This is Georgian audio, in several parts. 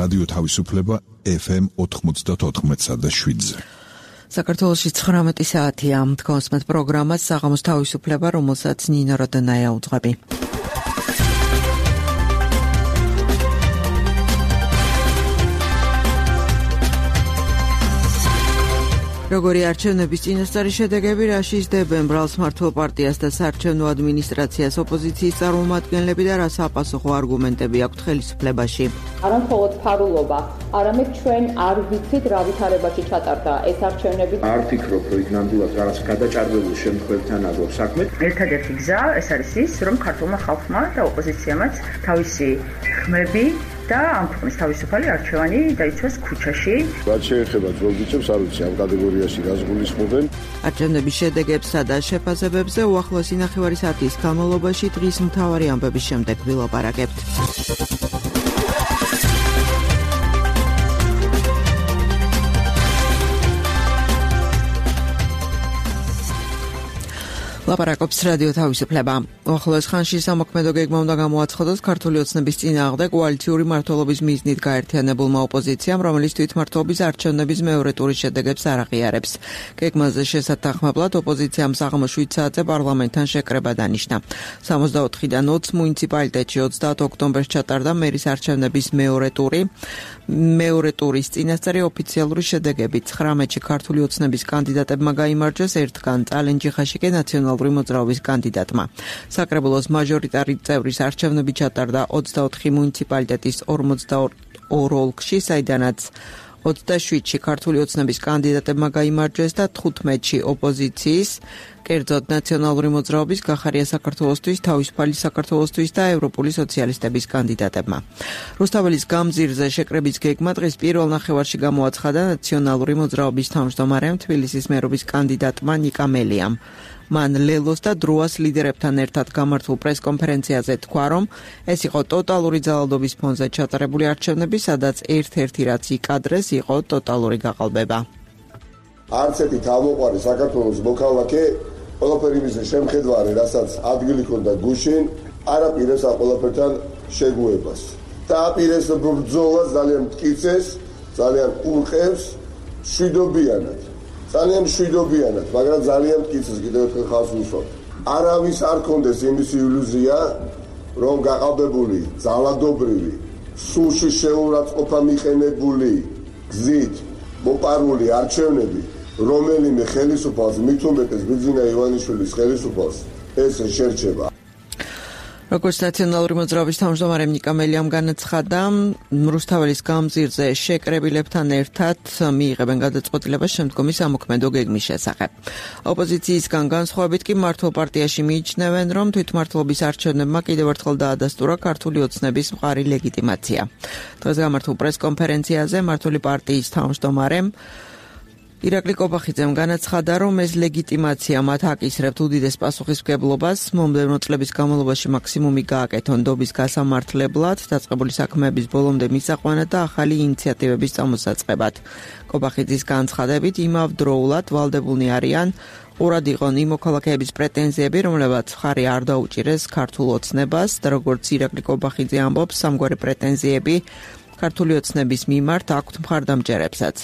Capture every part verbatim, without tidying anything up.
რადიო თავისუფლება ეფ ემ ოთხმოცდაოთხ და შვიდზე. საქართველოში ცხრამეტი საათია. თქვენს პროგრამას საღამოს თავისუფლება, რომელსაც ნინო როდონაია უძღვები. როგორი არჩევნების წინასწარი შედეგები რაში ისდებენ ბრალს მართლ პარტიას და საარჩევნო ადმინისტრაციას ოპოზიციის წარმომადგენლები და რა საპასუხო არგუმენტები აქვთ ხელისუფლებაში? არა მხოლოდ ფარულობა, არამედ ჩვენ არ ვიცით რა ვითარებაში ჩატარდა ეს არჩევნები. არ ფიქრობ, რომ იქ ნამდვილად რაღაც გადაჭარბებულ შემთხვევებთან აგვაქვს საქმე. ერთადერთი გზა ეს არის ის, რომ ქართულმა ხალხმა და ოპოზიციამაც თავისი ხმები და ამ ქვეყნის თავისუფალი არჩევანი დაიცვას ქუჩაში. რაც შეეხება ძველ ბიჭებს, არ ვიცი, ამ კატეგორიაში რას გულისხმობენ. არჩევნების შედეგებსა და შეფასებებზე უახლოესი ნახევარი საათის განმავლობაში დღის მთავარი ამბების შემდეგ ვილაპარაკებთ. ლაპარაკობს რადიო თავისუფლება. უახლოეს ხანში სამოქმედო გეგმა უნდა გამოაცხადოს ქართული ოცნების წინააღმდეგ კოალიციური მმართველობის მიზნით გაერთიანებულმა ოპოზიციამ, რომელიც თვითმმართველობის არჩევნების მეორე ტურის შედეგებს არ აღიარებს. გეგმაზე შესათანხმებლად ოპოზიციამ საღამოს შვიდ საათზე პარლამენტთან შეკრება დანიშნა. სამოცდაოთხიდან ოცი მუნიციპალიტეტში ოცდაათ ოქტომბერს ჩატარდა მერის არჩევნების მეორე ტური. მეორე ტურის წინასწარი ოფიციალური შედეგები ცხრამეტში ქართული ოცნების კანდიდატებმა გაიმარჯვეს, ერთგან წალენჯიხაში კი ნაციონალური მოძრაობის კანდიდატმა. საკრებულოს მაჟორიტარი წევრის არჩევნები ჩატარდა ოცდაოთხი მუნიციპალიტეტის ორმოცდაორ ოლქში, საიდანაც ოცდაშვიდში ქართული ოცნების კანდიდატებმა გაიმარჯვეს და თხუთმეტში ოპოზიციის, კერძოდ ნაციონალური მოძრაობის, გახარია საქართველოსთვის, თავისუფალი საქართველოსთვის და ევროპული სოციალისტების კანდიდატებმა. რუსთაველის გამზირზე შეკრების გეგმა დღეს პირველ ნახევარში გამოაცხადა ნაციონალური მოძრაობის თავმჯდომარემ, თბილისის მერობის კანდიდატმა ნიკა მელიამ. მან ლელოს და დროას ლიდერებთან ერთად გამართულ პრესკონფერენციაზე თქვა, რომ ეს იყო ტოტალური ძალადობის ფონზე ჩატარებული არჩევნები, სადაც ერთ-ერთი რაც იკადრეს იყო ტოტალური გაყალბება. არც ერთი თავმოყარი საქართველოს მოქალაქე ყველაფერი მის შემხედვარი, რასაც ადგილი ჰქონდა გუშინ, არ აპირებს ამ ყველაფერთან შეგუებას. და აპირებს ბრძოლას ძალიან მტკიცეს, ძალიან ურყევს, შვიდობიანად. ძალიან შვიდობიანად, მაგრამ ძალიან მტკიცეს, კიდევ ერთხელ ხალხს ვუსვამთ. არავის არ კონდეს იმის ილუზია, რომ გაყალბებული, ძალადობრივი, სულში შეურაცხყოფა მიყენებული გზით მოპარული არჩევნები, რომელიმე ხელისუფალს, მით უმეტეს ბიძინა ივანიშვილის ხელისუფალს, ეს შერჩება. როგორც ნაციონალური მოძრაობის თავმჯდომარემ ნიკა მელიამ განაცხადა, რუსთაველის გამზირზე შეკრებილებთან ერთად მიიღებენ გადაწყვეტილებას შემდგომი სამოქმედო გეგმის შესახებ. ოპოზიციისგან განსხვავებით კი მართლ პარტიაში მიიჩნევენ, რომ თვითმმართველობის არჩევნებმა კიდევ ერთხელ დაადასტურა ქართული ოცნების მყარი ლეგიტიმაცია. დღეს გამართულ პრესკონფერენციაზე მართული პარტიის თავმჯდომარემ ირაკლი კობახიძემ განაცხადა, რომ ეს ლეგიტიმაცია მათ აკისრებთ უდიდეს პასუხისმგებლობას, მომდევნო წლების განმავლობაში მაქსიმუმი გააკეთონ დობის გასამართლებლად, დაწყებული საქმეების ბოლომდე მისაყვანად და ახალი ინიციატივების წამოსაწყებად. კობახიძის განცხადებით, იმავდროულად ვალდებულნი არიან ყურად იყონ იმ მოქალაქეების პრეტენზიები, რომლებაც მხარი არ დაუჭირეს ქართულ ოცნებას და როგორც ირაკლი კობახიძე ამბობს, სამგვარი პრეტენზიები ქართული ოცნების მიმართ აქვთ მხარდამჭერებსაც.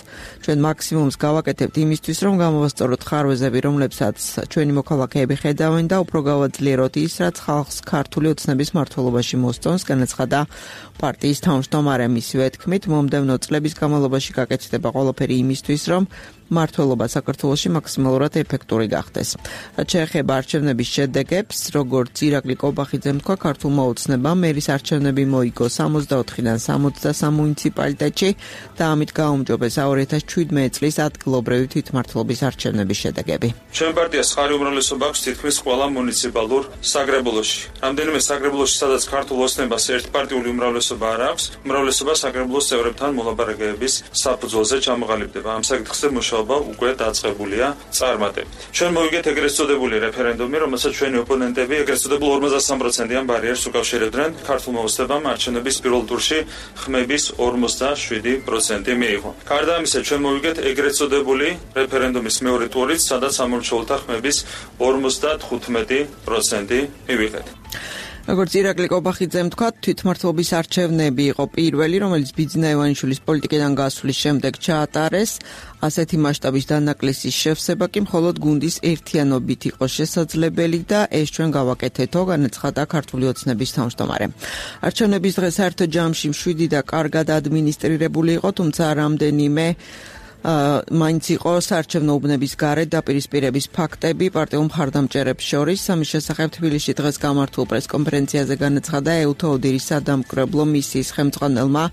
ჩვენ მაქსიმუმს გავაკეთებთ იმისთვის, რომ გამოვასწოროთ ხარვეზები, რომლებსაც ჩვენი მოქალაქეები ხედავენ და უფრო გავაძლიეროთ ის, რაც ხალხს ქართული ოცნების მმართველობაში მოსწონს, განაცხადა პარტიის თავმჯდომარემ. მისივე თქმით, მომდევნო წლების განმავლობაში გაკეთდება ყველაფერი იმისთვის, რომ მმართველობა საქართველოში მაქსიმალურად ეფექტური გახდეს. რაც შეეხება არჩევნების შედეგებს, როგორც ირაკლი კობახიძემ თქვა, ქართულმა ოცნებამ მერის არჩევნები მოიგო სამოცდაოთხიდან სამოცდასამ მუნიციპალიტეტში და ამით გააუმჯობესა ორი ათას შვიდმეტი წლის ადგილობრივი თვითმმართველობის არჩევნების შედეგები. ჩვენ პარტიას ხარი უმრავლესობა აქვს თითქმის ყველა მუნიციპალურ საკრებულოში. რამდენიმე საკრებულოში, სადაც ქართულ ოცნებას ერთპარტიული უმრავლესობა არ აქვს, უმრავლესობა საკრებულოს წევრებთან მოლაპარაკებების საფუძველზე ჩამოყალიბდება. ამ საკითხზე მუშაობა უკვე დაწყებულია წარმატებით. ჩვენ მოვიგეთ ეგრეთ წოდებული რეფერენდუმი, რომელსაც ჩვენი ოპონენტები ეგრეთ წოდებულ ორმოცდასამ პროცენტიან ბარიერს უკავშირებდნენ. ქართულმა ოცნებამ არჩევნების პირველ ტურში ხმების ორმოცდაშვიდი პროცენტი მიიღო. გარდა ამისა, ჩვენ მოვიგეთ ეგრეთ წოდებული რეფერენდუმის მეორე ტურით, სადაც სამორჩეულთა ხმების ორმოცდათხუთმეტი პროცენტი მივიღეთ. როგორც ირაკლი კობახიძემ თქვა, თვითმმართველობის არჩევნები იყო პირველი, რომელიც ბიძინა ივანიშვილის პოლიტიკიდან გასვლის შემდეგ ჩაატარეს. ასეთი მასშტაბის დანაკლისის შევსება კი მხოლოდ გუნდის ერთიანობით იყო შესაძლებელი და ეს ჩვენ გავაკეთეთო, განაცხადა ქართული ოცნების თავმჯდომარე. არჩევნების დღე საერთო ჯამში მშვიდი და კარგად ადმინისტრირებული იყო, თუმცა რამდენიმე მაინც იყო საარჩევნო უბნების გარეთ დაპირისპირების ფაქტები პარტიულ მხარდამჭერებს შორის. ამის შესახებ თბილისში დღეს გამართულ პრესკონფერენციაზე განაცხადა ეუთო ოდირის სადამკვირვებლო მისიის ხელმძღვანელმა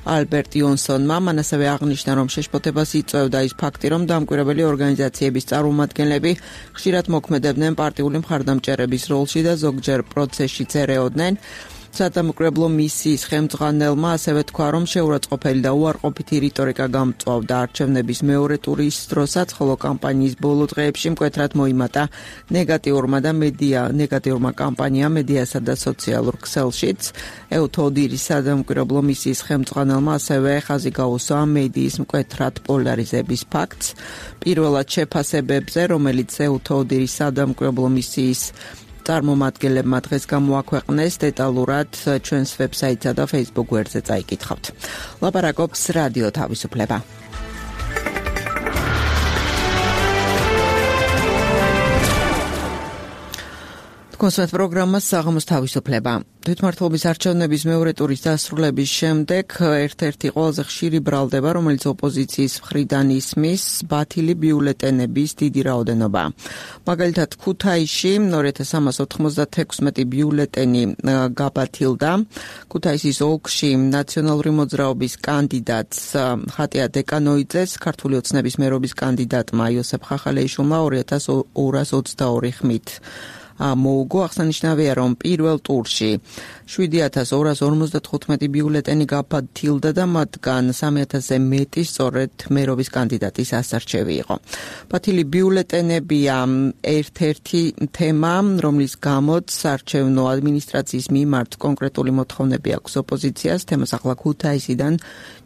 ალბერტ იონსონმა. მან ასევე აღნიშნა, რომ შეშფოთებას იწვევდა ის ფაქტი, რომ დამკვირვებელი ორგანიზაციების წარმომადგენლები ხშირად მოქმედებდნენ პარტიული მხარდამჭერების როლში და ზოგჯერ პროცესშიც ერეოდნენ. სადამკვირვებლო მისიის ხელმძღვანელმა ასევე თქვა, რომ შეურაცხყოფელი და უარყოფითი რიტორიკა გამწვავდა არჩევნების მეორე ტურის დროსაც, ხოლო კამპანიის ბოლო დღეებში მკვეთრად მოიმატა ნეგატიურმა და მედია ნეგატიურმა კამპანიამ მედიასა და სოციალურ ქსელშიც. ეუთო ოდირის სადამკვირვებლო მისიის ხელმძღვანელმა ასევე ხაზი გაუსვა მედიის მკვეთრად პოლარიზების ფაქტს. პირველად შეფასებებზე, რომელიც ეუთო ოდირის სადამკვირვებლო მისიის წარმომადგენლებმა დღეს გამოაქვეყნეს, დეტალურად ჩვენს ვებსაიტსა და Facebook გვერდზე წაიკითხავთ. ლაპარაკობს რადიო თავისუფლება. კონსერტ პროგრამა საღამოს თავისუფლება. თვითმმართველობის არჩევნების მეორე ტურის დასრულების შემდეგ ერთ-ერთი ყველაზე ხშირი ბრალდება, რომელიც ოპოზიციის მხრიდან ისმის, ბათილი ბიულეტენების დიდი რაოდენობა. მაგალითად, ქუთაისში ორი ათას სამას ოთხმოცდათექვსმეტი ბიულეტენი გაბათილდა. ქუთაისის ოლქში ნაციონალური მოძრაობის კანდიდატს ხატია დეკანოიძეს, ქართული ოცნების მერობის კანდიდატმა იოსებ ხახალეიშვილმა ორი ათას ორას ოცდაორი ხმით მოუგო. აღსანიშნავია, რომ პირველ ტურში შვიდი ათას ორას ორმოცდათხუთმეტი ბიულეტენი გაბათილდა და მათგან სამი ათასზე მეტი სწორედ მერობის კანდიდატის ასარჩევი იყო. ბათილი ბიულეტენებია ერთ-ერთი თემა, რომლის გამოც საარჩევნო ადმინისტრაციის მიმართ კონკრეტული მოთხოვნები აქვს ოპოზიციას. თემას ახლა ქუთაისიდან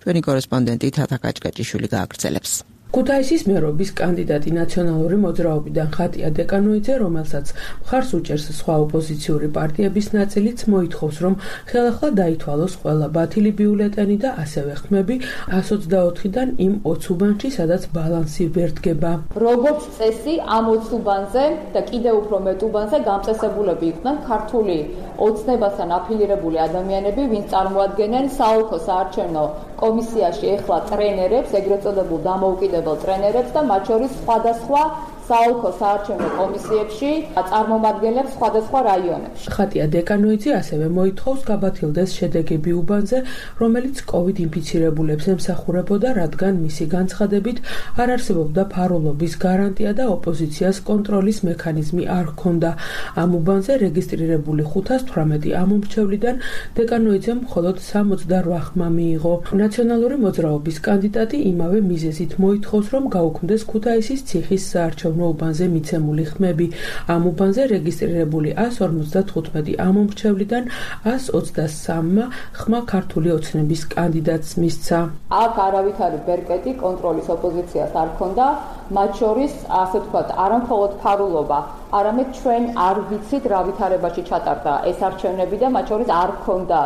ჩვენი კორესპონდენტი თათა კაჭკაჭიშვილი გააგრძელებს. ქუთაისის მერობის კანდიდატი ნაციონალური მოძრაობიდან ხატია დეკანოიძე, რომელსაც მხარს უჭერს სხვა ოპოზიციური პარტიების ნაწილიც, მოითხოვს, რომ ხელახლა დაითვალოს ყველა ბათილი ბიულეტენი და ასევე ხმები ას ოცდაოთხიდან იმ ოც უბანში, სადაც ბალანსი ვერ დგება. როგორც წესი, ამ ოც უბანზე და კიდევ უფრო მეტ უბანზე გამწესებულები იყვნენ ქართული ოცნებასთან აფილირებული ადამიანები, ვინც წარმოადგენენ საოლქო საარჩევნო კომისიაში ეხლა ტრენერებს, ეგრეთ წოდებულ დამოუკიდებელ ტრენერებს და მათ შორის სხვადასხვა საოლქო საარჩევნო კომისიებში წარმომადგენლებს სხვადასხვა რაიონებში. ხატია დეკანოიძე ასევე მოითხოვს გაბათილდეს შედეგები უბანზე, რომელიც კოვიდ ინფიცირებულებს ემსახურებოდა, რადგან მისი განცხადებით არ არსებობდა ფარულობის გარანტია და ოპოზიციას კონტროლის მექანიზმი არ ჰქონდა. ამ უბანზე რეგისტრირებული ხუთას თვრამეტი ამომრჩევლიდან დეკანოიძემ მხოლოდ სამოცდარვა ხმა მიიღო. ნაციონალური მოძრაობის კანდიდატი იმავე მიზეზით მოითხოვს, რომ გაუქმდეს ქუთაისის ციხის საარჩევნო უბანზე მიცემული ხმები. ამ უბანზე რეგისტრირებული ას ორმოცდათხუთმეტი ამომრჩევლიდან ას ოცდასამმა ხმა ქართული ოცნების კანდიდატს მისცა. აქ არავითარი ბერკეტი კონტროლის ოპოზიციას არ ჰქონდა, მათ შორის ასე ვთქვათ, არამხოლოდ ფარულობა, არამედ ჩვენ არ ვიცით რა ვითარებაში ჩატარდა ეს არჩევნები და მათ შორის არ ჰქონდა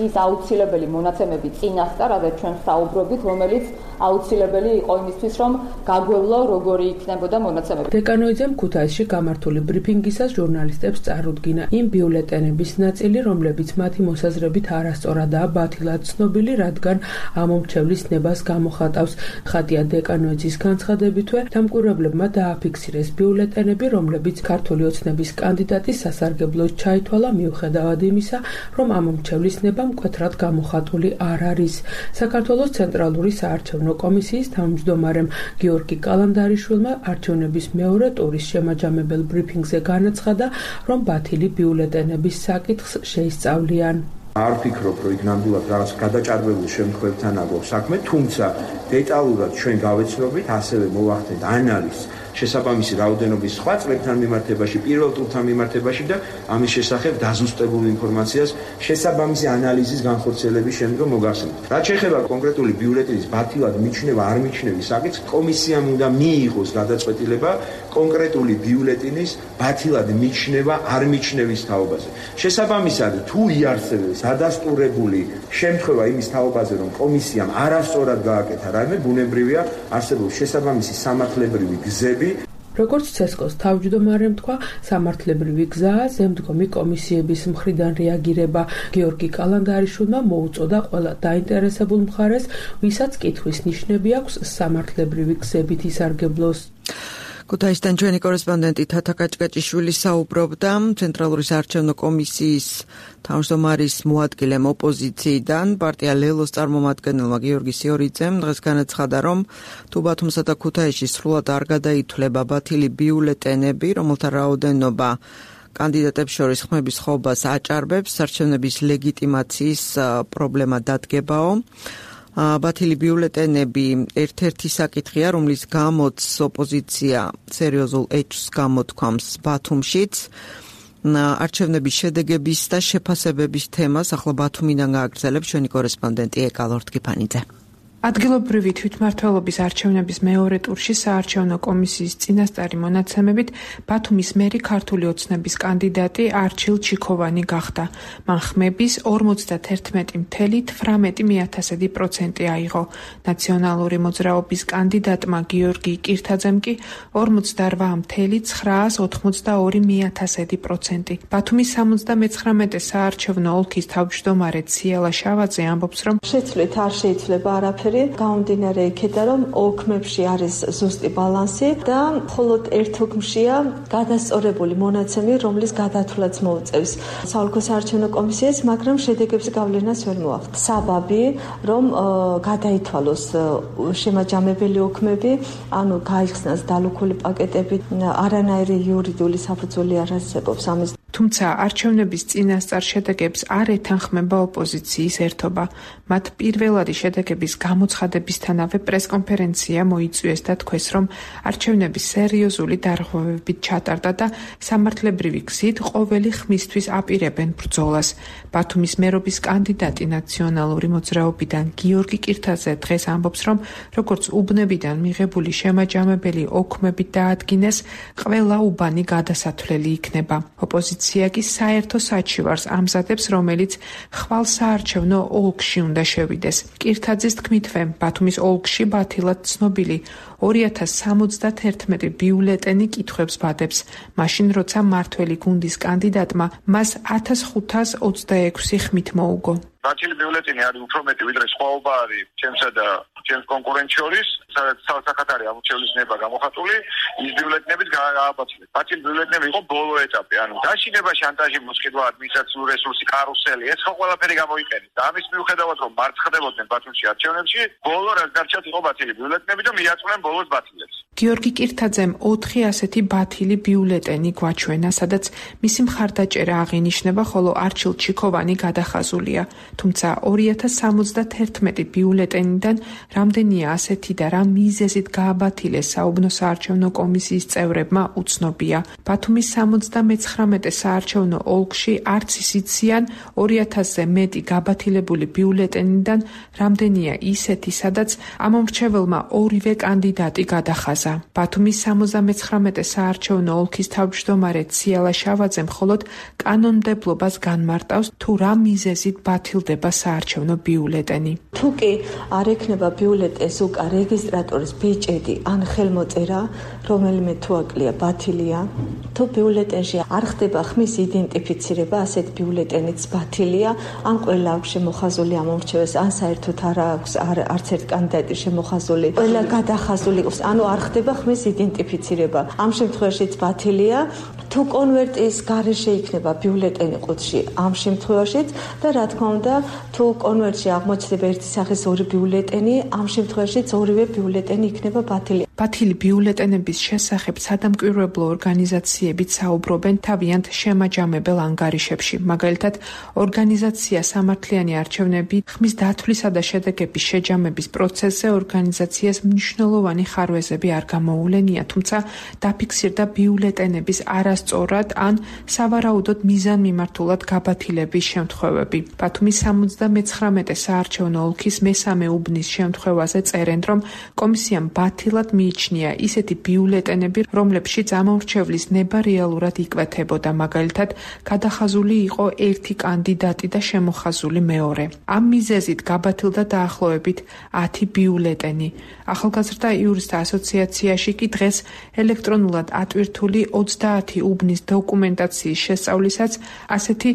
ის აუცილებელი მონაცემები წინასწარ, რადგან ჩვენ საუბრობთ, რომელიც აუცილებელი იყო იმისთვის, რომ გაგვევლო როგორი იქნებოდა მონაცემები. დეკანოიძემ ქუთაისში გამართული ბრიფინგისას ჟურნალისტებს წარუდგინა იმ ბიულეტენების ნაწილი, რომლებიც მათი მოსაზრებით არასწორადაა ბათილად ცნობილი, რადგან ამომრჩევლის ნებას გამოხატავს. ხატია დეკანოიძის განცხადებითვე დამკვირვებლებმა დააფიქსირეს ბიულეტენები, რომლებიც ქართული ოცნების კანდიდატის სასარგებლოდ ჩაითვალა, მიუხედავად იმისა, რომ ამომრჩევლის ნება მკვეთრად გამოხატული არ არის. საქართველოს ცენტრალური საარჩევნო კომისიის თავმჯდომარემ გიორგი კალანდარიშვილმა არჩევნების მეორე ტურის შემაჯამებელ ბრიფინგზე განაცხადა, რომ ბათილი ბიულეტენების საკითხს შეისწავლიან. არ ვფიქრობ, რომ იქ ნამდვილად რაღაც გადაჭარბებული შემთხვევებთან აქვს საქმე, თუმცა დეტალურად ჩვენ გავეცნობით, ასევე მოვახდენთ ანალიზს შესაბამისი რაოდენობის სხვა წლებთან მიმართებაში, პირველ ტურთან მიმართებაში და ამის შესახებ დაზუსტებულ ინფორმაციას შესაბამისი ანალიზის განხორციელების შემდგომ მოგახსენებთ. რაც შეეხება კონკრეტული ბიულეტენის ბათილად მიჩნევა, არ მიჩნევის საკითხს, კომისიამ უნდა მიიღოს გადაწყვეტილება კონკრეტული ბიულეტინის ბათილად მიჩნევა არ მიჩნევის თაობაზე. შესაბამისად, თუ იარსებებს ადასტურებული შემთხვევა იმის თაობაზე, რომ კომისიამ არასწორად გააკეთა რაიმე, ბუნებრივია არსებობს შესაბამისი სამართლებრივი გზები. როგორც ცესკოს თავმჯდომარემ თქვა, სამართლებრივი გზაა ზემდგომი კომისიების მხრიდან რეაგირება. გიორგი კალანდარიშვილმა მოუწოდა ყველა დაინტერესებულ მხარეს, ვისაც კითხვის ნიშნები აქვს, სამართლებრივი გზებით ისარგებლოს. ქუთაისიდან ჩვენი კორესპონდენტი თათა კაჭკაჭიშვილი საუბრობდა ცენტრალური საარჩევნო კომისიის თავმჯდომარის მოადგილემ ოპოზიციიდან პარტია ლელოს წარმომადგენელმა გიორგი სიორიძემ დღეს განაცხადა, რომ თუ ბათუმსა და ქუთაისში სრულად არ გადაითვლება ბათილი ბიულეტენები, რომელთა რაოდენობა კანდიდატებს შორის ხმების ხობას აჭარბებს, არჩევნების ლეგიტიმაციის პრობლემა დადგებაო. ბათილი ბიულეტენები ერთ-ერთი საკითხია, რომლის გამოც ოპოზიცია სერიოზულ ეჭვს გამოთქვამს ბათუმშიც. არჩევნების შედეგების და შეფასებების თემას ახლა ბათუმიდან გააგრძელებს ჩვენი კორესპონდენტი ეკა ლორთქიფანიძე. ადგილობრივი თვითმმართველობის არჩევნების მეორე ტურში საარჩევნო კომისიის წინასწარი მონაცემებით ბათუმის მერი ქართული ოცნების კანდიდატი არჩილ ჩიქოვანი გახდა. მან ხმების ორმოცდაათერთმეტი ფاصლე თვრამეტი მიათასედი პროცენტი აიღო. ნაციონალური მოძრაობის კანდიდატმა გიორგი კირთაძემ კი ორმოცდარვა ფاصლე ცხრაას ოთხმოცდაორი მიათასედი პროცენტი. ბათუმის სამოცდამეცხრამეტე საარჩევნო ოლქის თავმჯდომარე ციალა შავაძე ამბობს, რომ შეცვლით არ შეიძლება არაფერი. გამომდინარე იქიდან, რომ ოლქებში არის ზუსტი ბალანსი და მხოლოდ ერთ ოლქშია გადასწორებული მონაცემი, რომლის გადათვლაც მოუწევს საოლქო საარჩევნო კომისიას, მაგრამ შედეგების გავლენას ვერ მოახდენს. საბაბი, რომ გადაითვალოს შემაჯამებელი ოლქები, ანუ გაიხსნას დალუქული პაკეტები, არანაირი იურიდიული საფუძველი არ არსებობს ამის. თუმცა არჩევნების წინასწარ შედეგებს არ ეთანხმება ოპოზიციის ერთობა. მათ პირველადი შედეგების გამოცხადებისთანავე პრესკონფერენცია მოიწვიეს და თქვეს, რომ არჩევნები სერიოზული დარღვევებით ჩატარდა და სამართლებრივი გზით ყოველი ხმისთვის აპირებენ ბრძოლას. ბათუმის მერობის კანდიდატი ნაციონალური მოძრაობიდან გიორგი კირთაძე დღეს ამბობს, რომ როგორც უბნებიდან მიღებული შემაჯამებელი ოქმებით დაადგინეს, ყველა უბანი გადასათვლელი იქნება. ოპოზიცია კი საერთო საჩივარს ამზადებს, რომელიც ხვალ საარჩევნო ოლქში უნდა შევიდეს. კირთაძის თქმითვე, ბათუმის ოლქში ბათილად ცნობილი ორი ათას სამოცდაათერთმეტი ბიულეტენი კითხვებს ბადებს, მაშინ როცა მართველი გუნდის კანდიდატმა მას ათას ხუთას ოცდაექვსი ხმით მოუგო. ბათილი ბიულეტენი არის უფრო მეტი, ვიდრე სხვაობა არის ჩემსა და ჩემს კონკურენტ შორის, სადაც სახათ არის ამორჩევლის ნება გამოხატული, ის ბიულეტენებით გააბათილეს. ბათილი ბიულეტენები იყო ბოლო ეტაპი, ანუ დაშინება, შანტაჟი, მოსყიდვა, ადმინისტრაციული რესურსი, კარუსელი, ეს ხო ყველაფერი გამოიყენეს. და ამის მიუხედავად, რომ მარცხდებოდნენ ბათუმში არჩევნებში, ბოლო რაც დარჩათ იყო ბათილი ბიულეტენები და მიაწვნენ ბოლოს ბათილებს. გიორგი კირთაძემ ოთხი ასეთი ბათილი ბიულეტენი გვაჩვენა, სადაც მისი მხარდაჭერა აღინიშნება, ხოლო არჩილ ჩიქოვანი გადახაზულია. თუმცა ორი ათას სამოცდაათერთმეტი ბიულეტენიდან რამდენია ასეთი და რა მიზეზით გააბათილეს საუბნო საარჩევნო კომისიის წევრებმა უცნობია. ბათუმის სამოცდამეცხრამეტე საარჩევნო ოლქში არც ის იციან ორი ათასზე მეტი გაბათილებული ბიულეტენიდან რამდენია ისეთი, სადაც ამომრჩეველმა ორივე კანდიდატი გადახაზა. ბათუმის სამოცდამეცხრამეტე საარჩევნო ოლქის თავმჯდომარე ციალა შავაძე მხოლოდ კანონმდებლობას განმარტავს, თუ რა მიზეზით ბათილდება საარჩევნო ბიულეტენი. თუ კი არ ექნება ბიულეტენს უკა რეგისტრატორის ბეჭედი ან ხელმოწერა, რომელიმე თუ აკლია ბათილია, თუ ბიულეტენში არ ხდება ხმის იდენტიფიცირება, ასეთ ბიულეტენიც ბათილია, ან ყველა აქვს შემოხაზული ამომრჩეველს, ან საერთოდ არ აქვს არც ერთ კანდიდატი შემოხაზული, ყველა გადახაზული იყოს, ანუ არ ხდება ხმის იდენტიფიცირება. ამ შემთხვევაშიც ბათილია. თუ კონვერტის გარეშე იქნება ბიულეტენი ყუთში, ამ შემთხვევაშიც და რა თქმა უნდა, თუ კონვერტში აღმოჩნდება ერთი სახის ორი ბიულეტენი, ამ შემთხვევაშიც ორივე ბიულეტენი იქნება ბათილი. ბათილი ბიულეტენების შესახებ სადამკვირვებლო ორგანიზაციებიც საუბრობენ თავიანთ შემაჯამებელ ანგარიშებში. მაგალითად, ორგანიზაცია სამართლიანი არჩევნები ხმის დათვლისა და შედეგების შეჯამების პროცესზე ორგანიზაციას მნიშვნელოვანი ხარვეზები არ გამოულენია, თუმცა დაფიქსირდა ბიულეტენების არასწორად ან სავარაუდოდ მიზანმიმართულად გაბათილების შემთხვევები. ბათუმის სამოცდამეცხრამეტე საარჩევნო ოლქის მესამე უბნის შემთხვევაზე წერენ, რომ კომისიამ ბათილად მიიჩნია ისეთი ბიულეტენები, რომლებშიც ამომრჩევლის ნება რეალურად იკვეთებოდა, მაგალითად, გადახაზული იყო ერთი კანდიდატი და შემოხაზული მეორე. ამ მიზეზით გაბათილდა დაახლოებით ათი ბიულეტენი. ახალგაზრდა იურისტთა ასოციაციაში კი დღეს ელექტრონულად ატვირთული ოცდაათი უბნის დოკუმენტაციის შესწავლისას ასეთი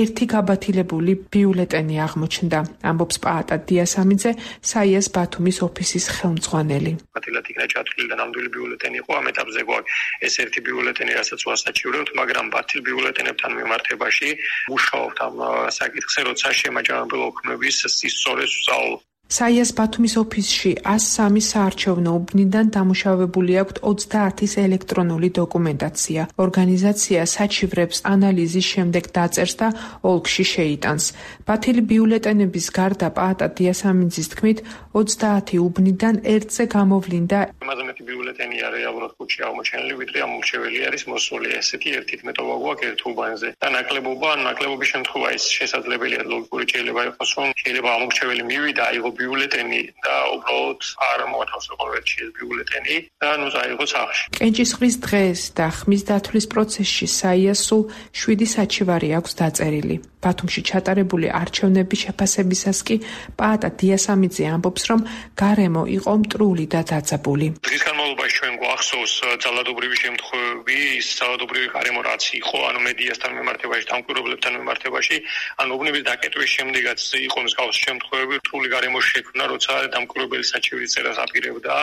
ერთი გაბათილებული ბიულეტენი აღმოჩნდა, ამბობს პაატა დიასამიძე, საიას ბათუმის ოფისის ხელმძღვანელი. გაბათილად იქნა ჩათვლილი და ნამდვილი ბიულეტენი იყო, ამ ეტაპზე გვაქვს ეს ერთი ბიულეტენი, რასაც ვასაჩივრებთ, მაგრამ ბათილ ბიულეტენებთან მიმართებაში მუშაობთ ამ საკითხზე, როცა შემაჯამებელი ოქმების სისწორეს ვსწავლობ. საიას ბათუმის ოფისში ას სამი საარჩევნო უბნიდან დამუშავებული აქვთ ოცდაათის ელექტრონული დოკუმენტაცია. ორგანიზაცია საჩივრებს ანალიზის შემდეგ დაწერს და ოლქში შეიტანს. ბათილი ბიულეტენების გარდა პაატა დიასამიძის თქმით, ოცდაათი უბნიდან ერთზე გამოვლინდა იმაზე მეტი ბიულეტენია რეალურად ხუთში აღმოჩენილი, ვიდრე ამომრჩეველი არის მოსული. ესეთი ერთი თმეტობა გვაქვს ერთ უბანზე. და ნაკლებობა, ნაკლებობის შემთხვევა ის შესაძლებელია ლოგიკური შეიძლება იყოს, რომ შეიძლება ამომრჩეველი მივიდა, აიღო ბიულეტენი და უბრალოდ არ მოათავსებო ერთში ეს ბიულეტენი და ნუ წაიღო სახში. კენჭისყრის დღეს და ხმის დათვლის პროცესში საიას სულ შვიდი საჩივარი აქვს დაწერილი. ბათუმში ჩატარებული არჩევნების შეფასებისას კი პაატა დიასამიძე ამბობს, რომ გარემო იყო მტრული და დაძაბული. დღის განმავლობაში ჩვენ გვახსოვს ძალადობრივი შემთხვევები, ის ძალადობრივი გარემო რაც იყო, ანუ მედიასთან მიმართებაში, დამკვირვებლებთან მიმართებაში, ანუ უბნების დაკეტვის შემდეგაც იყო მსგავსი შემთხვევები, მტრული გარემო შექმნა, როცა დამკვირვებელი საჩივრის წერას აპირებდა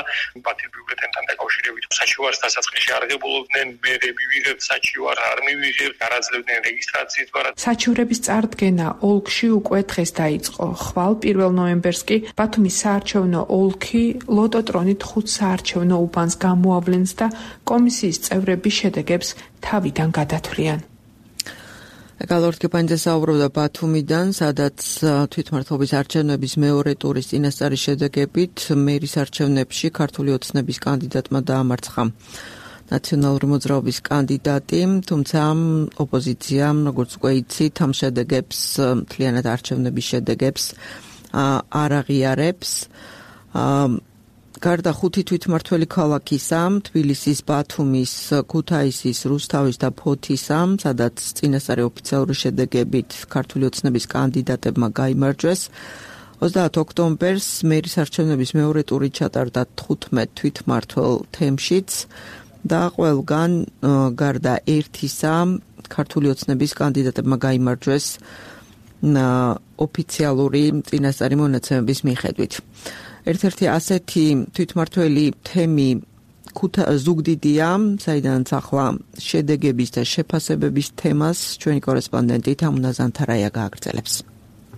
ბათილ ბიულეტენთან დაკავშირებით. საჩივარს დასაწყისში არ ღებულობდნენ, მერე მივიღებთ საჩივარს, არ მივიღებთ, არაძლევდნენ რეგისტრაციის ბარად. საჩივრების წარდგენა ოლქში უკვე დღეს დაიწყო. ხვალ პირველ ნოემბერს კი ბათუმის საარჩევნო ოლქი ლოტოტრონით ხუთ საარჩევნო უბანს გამოავლენს და კომისიის წევრები შედეგებს თავიდან გადათვლიან. გალორდ კეპანიძე საუბრობდა ბათუმიდან, სადაც თვითმმართველობის არჩევნების მეორე ტურის წინასწარი შედეგებით მერის არჩევნებში ქართული ოცნების კანდიდატმა დაამარცხა ნაციონალური მოძრაობის კანდიდატი, თუმცა ოპოზიციამ, როგორც უკვე იცით, ამ შედეგებს, მთლიანად არჩევნების შედეგებს არ აღიარებს. გარდა ხუთი თვითმმართველი ქალაქისა, თბილისის, ბათუმის, ქუთაისის, რუსთავის და ფოთისა, სადაც წინასწარი ოფიციალური შედეგებით ქართული ოცნების კანდიდატებმა გაიმარჯვეს. ოცდაათ ოქტომბერს მერის არჩევნების მეორე ტური ჩატარდა თხუთმეტ თვითმმართველ თემშიც და ყველგან გარდა ერთისა ქართული ოცნების კანდიდატებმა გაიმარჯვეს ოფიციალური წინასწარი მონაცემების მიხედვით. ერთ-ერთი ასეთი თვითმმართველი თემი ზუგდიდია, საიდანაც ახლა შედეგების და შეფასებების თემას ჩვენი კორესპონდენტი თამუნა ზანთარაია გააგრძელებს.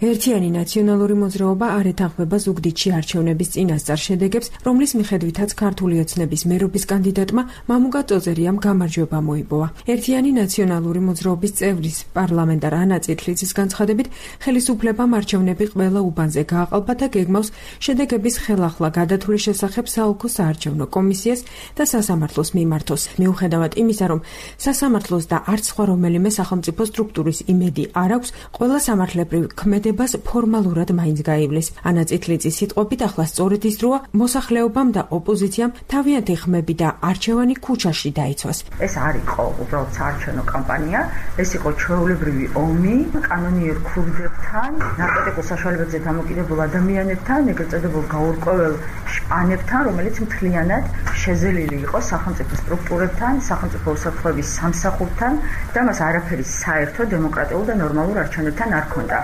ერთიანი ნაციონალური მოძრაობა არ ეთანხმება ზუგდიდში არჩევნების წინასწარ შედეგებს, რომლის მიხედვითაც ქართული ოცნების მერობის კანდიდატმა მამუკა წოწერიამ გამარჯვება მოიპოვა. ერთიანი ნაციონალური მოძრაობის წევრის პარლამენტარ ანა წითლიძის განცხადებით, ხელისუფლებამ არჩევნები ყველა უბანზე გააყალბა და გეგმავს შედეგების ხელახლა გადათვლის შესახებ საოლქო საარჩევნო კომისიას და სასამართლოს მიმართოს. მიუხედავად იმისა, რომ სასამართლოს და არც სხვა რომელიმე სახელმწიფო სტრუქტურის იმედი არ აქვს, ყველა სამართლებრივ ქმედება ფორმალურად მაინც გაივლის. ანა წითლიძის სიტყვებით, ახლა სწორედ ის დროა მოსახლეობამ და ოპოზიციამ თავიანთი ხმები და არჩევანი ქუჩაში დაიცვას. ეს არ იყო უბრალოდ საარჩევნო კამპანია, ეს იყო ჩვეულებრივი ომი კანონიერ ქურდებთან, ნარკოტიკულ საშუალებებზე დამოკიდებულ ადამიანებთან, ეგრეთ წოდებულ გაურკვეველ შპანებთან, რომელიც მთლიანად შეზელილი იყო სახელმწიფო სტრუქტურებთან, სახელმწიფო უსაფრთხოების სამსახურთან და მას არაფერი საერთო დემოკრატიულ და ნორმალურ არჩევნებთან არ ჰქონდა.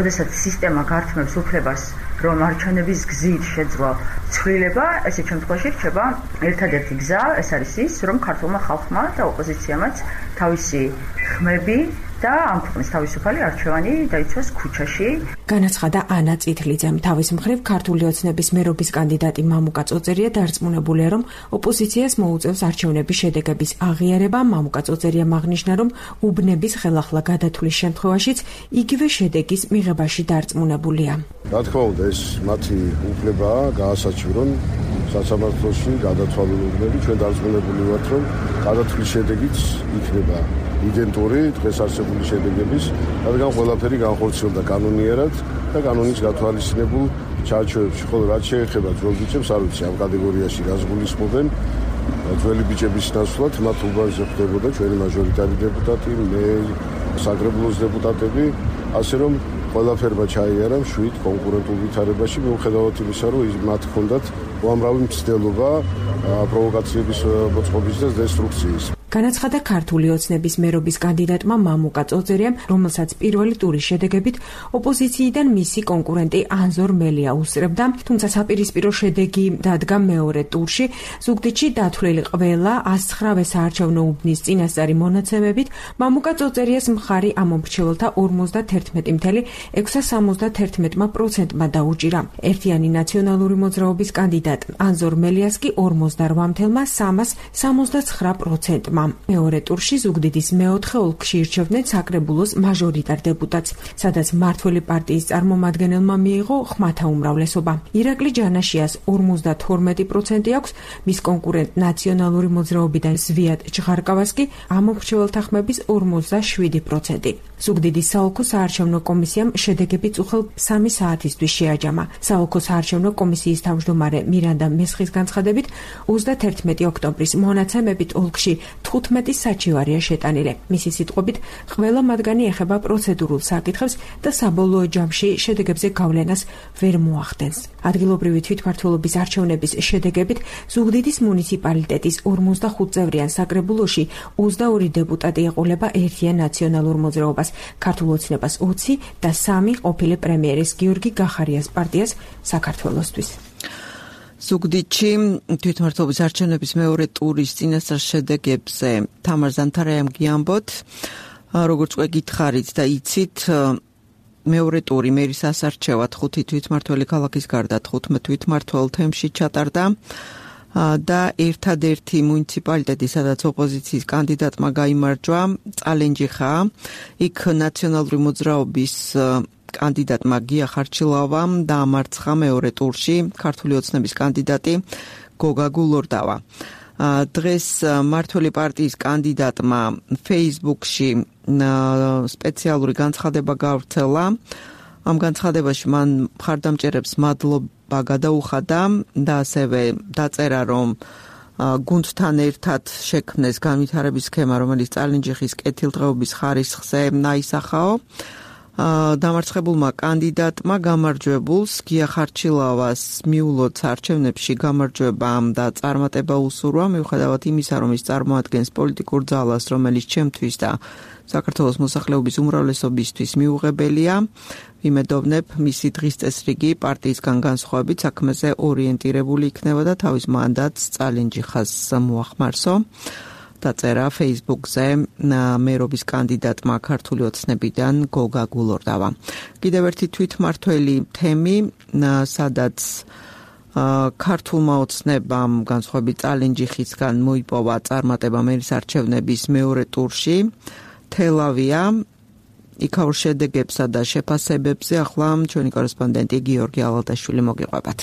როდესაც სისტემა გართმევს უფლებას, რომ არჩევნების გზით შეძლო ცვლილება, ესეთ შემთხვევაში რჩება ერთადერთი გზა, ეს არის ის, რომ ქართულმა ხალხმა და ოპოზიციამაც თავისი ხმები და ამ ქვეყნის თავისუფალი არჩევანი დაიცვას ქუჩაში. განაცხადა ანა წითლიძემ. თავის მხრივ ქართული ოცნების მერობის კანდიდატი მამუკა წოწერია დარწმუნებულია, რომ ოპოზიციას მოუწევს არჩევნების შედეგების აღიარება. მამუკა წოწერია აღნიშნა, რომ უბნების ხელახლა გადათვლის შემთხვევაშიც იგივე შედეგის მიღებაში დარწმუნებულია. რა თქმა უნდა, ეს მათი უფლებაა გაასაჩივრონ სასამართლოში გადათვალული უბნები. ჩვენ დარწმუნებული ვართ, რომ გადათვლის შედეგიც იქნება იდენტური დღეს არსებული შედეგების, რადგან ყველაფერი განხორციელდა კანონიერად და კანონის გათვალისწინებულ ჩარჩოებში, ხოლო რაც შეეხება ძველ ბიჭებს, არ ვიცი ამ კატეგორიაში რას გულისხმობენ. ძველი ბიჭების ნაცვლად მათ უბანზე ხდებოდა ჩვენი მაჟორიტარი დეპუტატი, მე საკრებულოს დეპუტატები, ასე რომ ყველაფერმა ჩაიარა მშვიდ კონკურენტულ ვითარებაში, მიუხედავად იმისა, რომ მათ ჰქონდათ უამრავი მცდელობა პროვოკაციების მოწყობის და დესტრუქციის. განაცხადა ქართული ოცნების მერობის კანდიდატმა მამუკა წოწერიამ, რომელსაც პირველი ტურის შედეგებით ოპოზიციიდან მისი კონკურენტი ანზორ მელია უსწრებდა, თუმცა საპირისპირო შედეგი დადგა მეორე ტურში. ზუგდიდში დათვლილი ყველა ას ცხრა საარჩევნო უბნის წინასწარი მონაცემებით მამუკა წოწერიას მხარი ამომრჩეველთა ორმოცდაერთმეტი წუთი ექვსას სამოცდაერთმეტი პროცენტმა დაუჭირა. ერთიანი ნაციონალური მოძრაობის კანდიდატ ანზორ მელიას კი ორმოცდარვა წუთი სამას სამოცდაცხრა პროცენტმა. მეორე ტურში ზუგდიდის მეოთხე ოლქში ირჩევდნენ საკრებულოს მაჟორიტარ დეპუტატს, სადაც მმართველი პარტიის წარმომადგენელმა მიიღო ხმათა უმრავლესობა. ირაკლი ჯანაშიას ორმოცდათორმეტი პროცენტი აქვს, მის კონკურენტ ნაციონალური მოძრაობიდან ზვიად ჭღარკავას კი ამომრჩეველთა ხმების ორმოცდაშვიდი პროცენტი. ზუგდიდის საოლქო საარჩევნო კომისიამ შედეგები წუხელ სამი საათისთვის შეაჯამა. საოლქო საარჩევნო კომისიის თავმჯდომარე მირანდა მესხის განცხადებით, ოცდაათერთმეტი ოქტომბრის მონაცემებით ოლქში თხუთმეტი საჩივარია შეტანილი. მისი სიტყვებით, ყველა მათგანი ეხება პროცედურულ საკითხებს და საბოლოო ჯამში შედეგებზე გავლენას ვერ მოახდენს. ადგილობრივი თვითმმართველობის არჩევნების შედეგებით ზუგდიდის მუნიციპალიტეტის ორმოცდახუთ წევრიან საკრებულოში ოცდაორი დეპუტატი ეყოლება ერთიან ნაციონალურ მოძრაობას, ქართულ ოცნებას ოცი და სამი ყოფილი პრემიერის გიორგი გახარიას პარტიას საქართველოსთვის. ზუგდიდში თვითმმართველობის არჩევნების მეორე ტურის წინასწარ შედეგებზე თამარ ზანთარაიამ გიამბოთ, როგორც უკვე გითხარით და იცით, მეორე ტური მერის ასარჩევად ხუთი თვითმმართველი ქალაქის გარდა თხუთმეტ თვითმმართველ თემში ჩატარდა და ერთადერთი მუნიციპალიტეტი, სადაც ოპოზიციის კანდიდატმა გაიმარჯვა, წალენჯიხაა. იქ ნაციონალური მოძრაობის კანდიდატმა გია ხარჩილავამ დაამარცხა მეორე ტურში ქართული ოცნების კანდიდატი გოგა გულორდავა. დღეს მმართველი პარტიის კანდიდატმა Facebook-ში სპეციალური განცხადება გავრცელა. ამ განცხადებაში მან მხარდამჭერებს მადლობა გადაუხადა და ასევე დაწერა, რომ გუნდთან ერთად შექმნეს განვითარების სქემა, რომელიც წალენჯიხის კეთილდღეობის ხარისხზე აისახაო. დამარცხებულმა კანდიდატმა გამარჯვებულს გია ხარჩილავას მიულოც არჩევნებში გამარჯვება და წარმატება უსურვა, მიუხედავად იმისა, რომ ის წარმოადგენს პოლიტიკურ ძალას, რომელიც ჩემთვის და საქართველოს მოსახლეობის უმრავლესობისთვის მიუღებელია. ვიმედოვნებ, მისი დღის წესრიგი პარტიისგან განსხვავებით საქმეზე ორიენტირებული იქნება და თავის მანდატს წალენჯიხას მოახმარსო. დაწერა Facebook-ზე მერობის კანდიდატმა ქართული ოცნებიდან გოგა გულორდავა. კიდევ ერთი თვითმმართველი თემი, სადაც ქართულმა ოცნებამ განსხვავებით წალენჯიხისგან მოიპოვა წარმატება მერის არჩევნების მეორე ტურში, თელავია. იქაურ შედეგებსა და შეფასებებზე ახლა ჩვენი კორესპონდენტი გიორგი ალალტაშვილი მოგიყვებათ.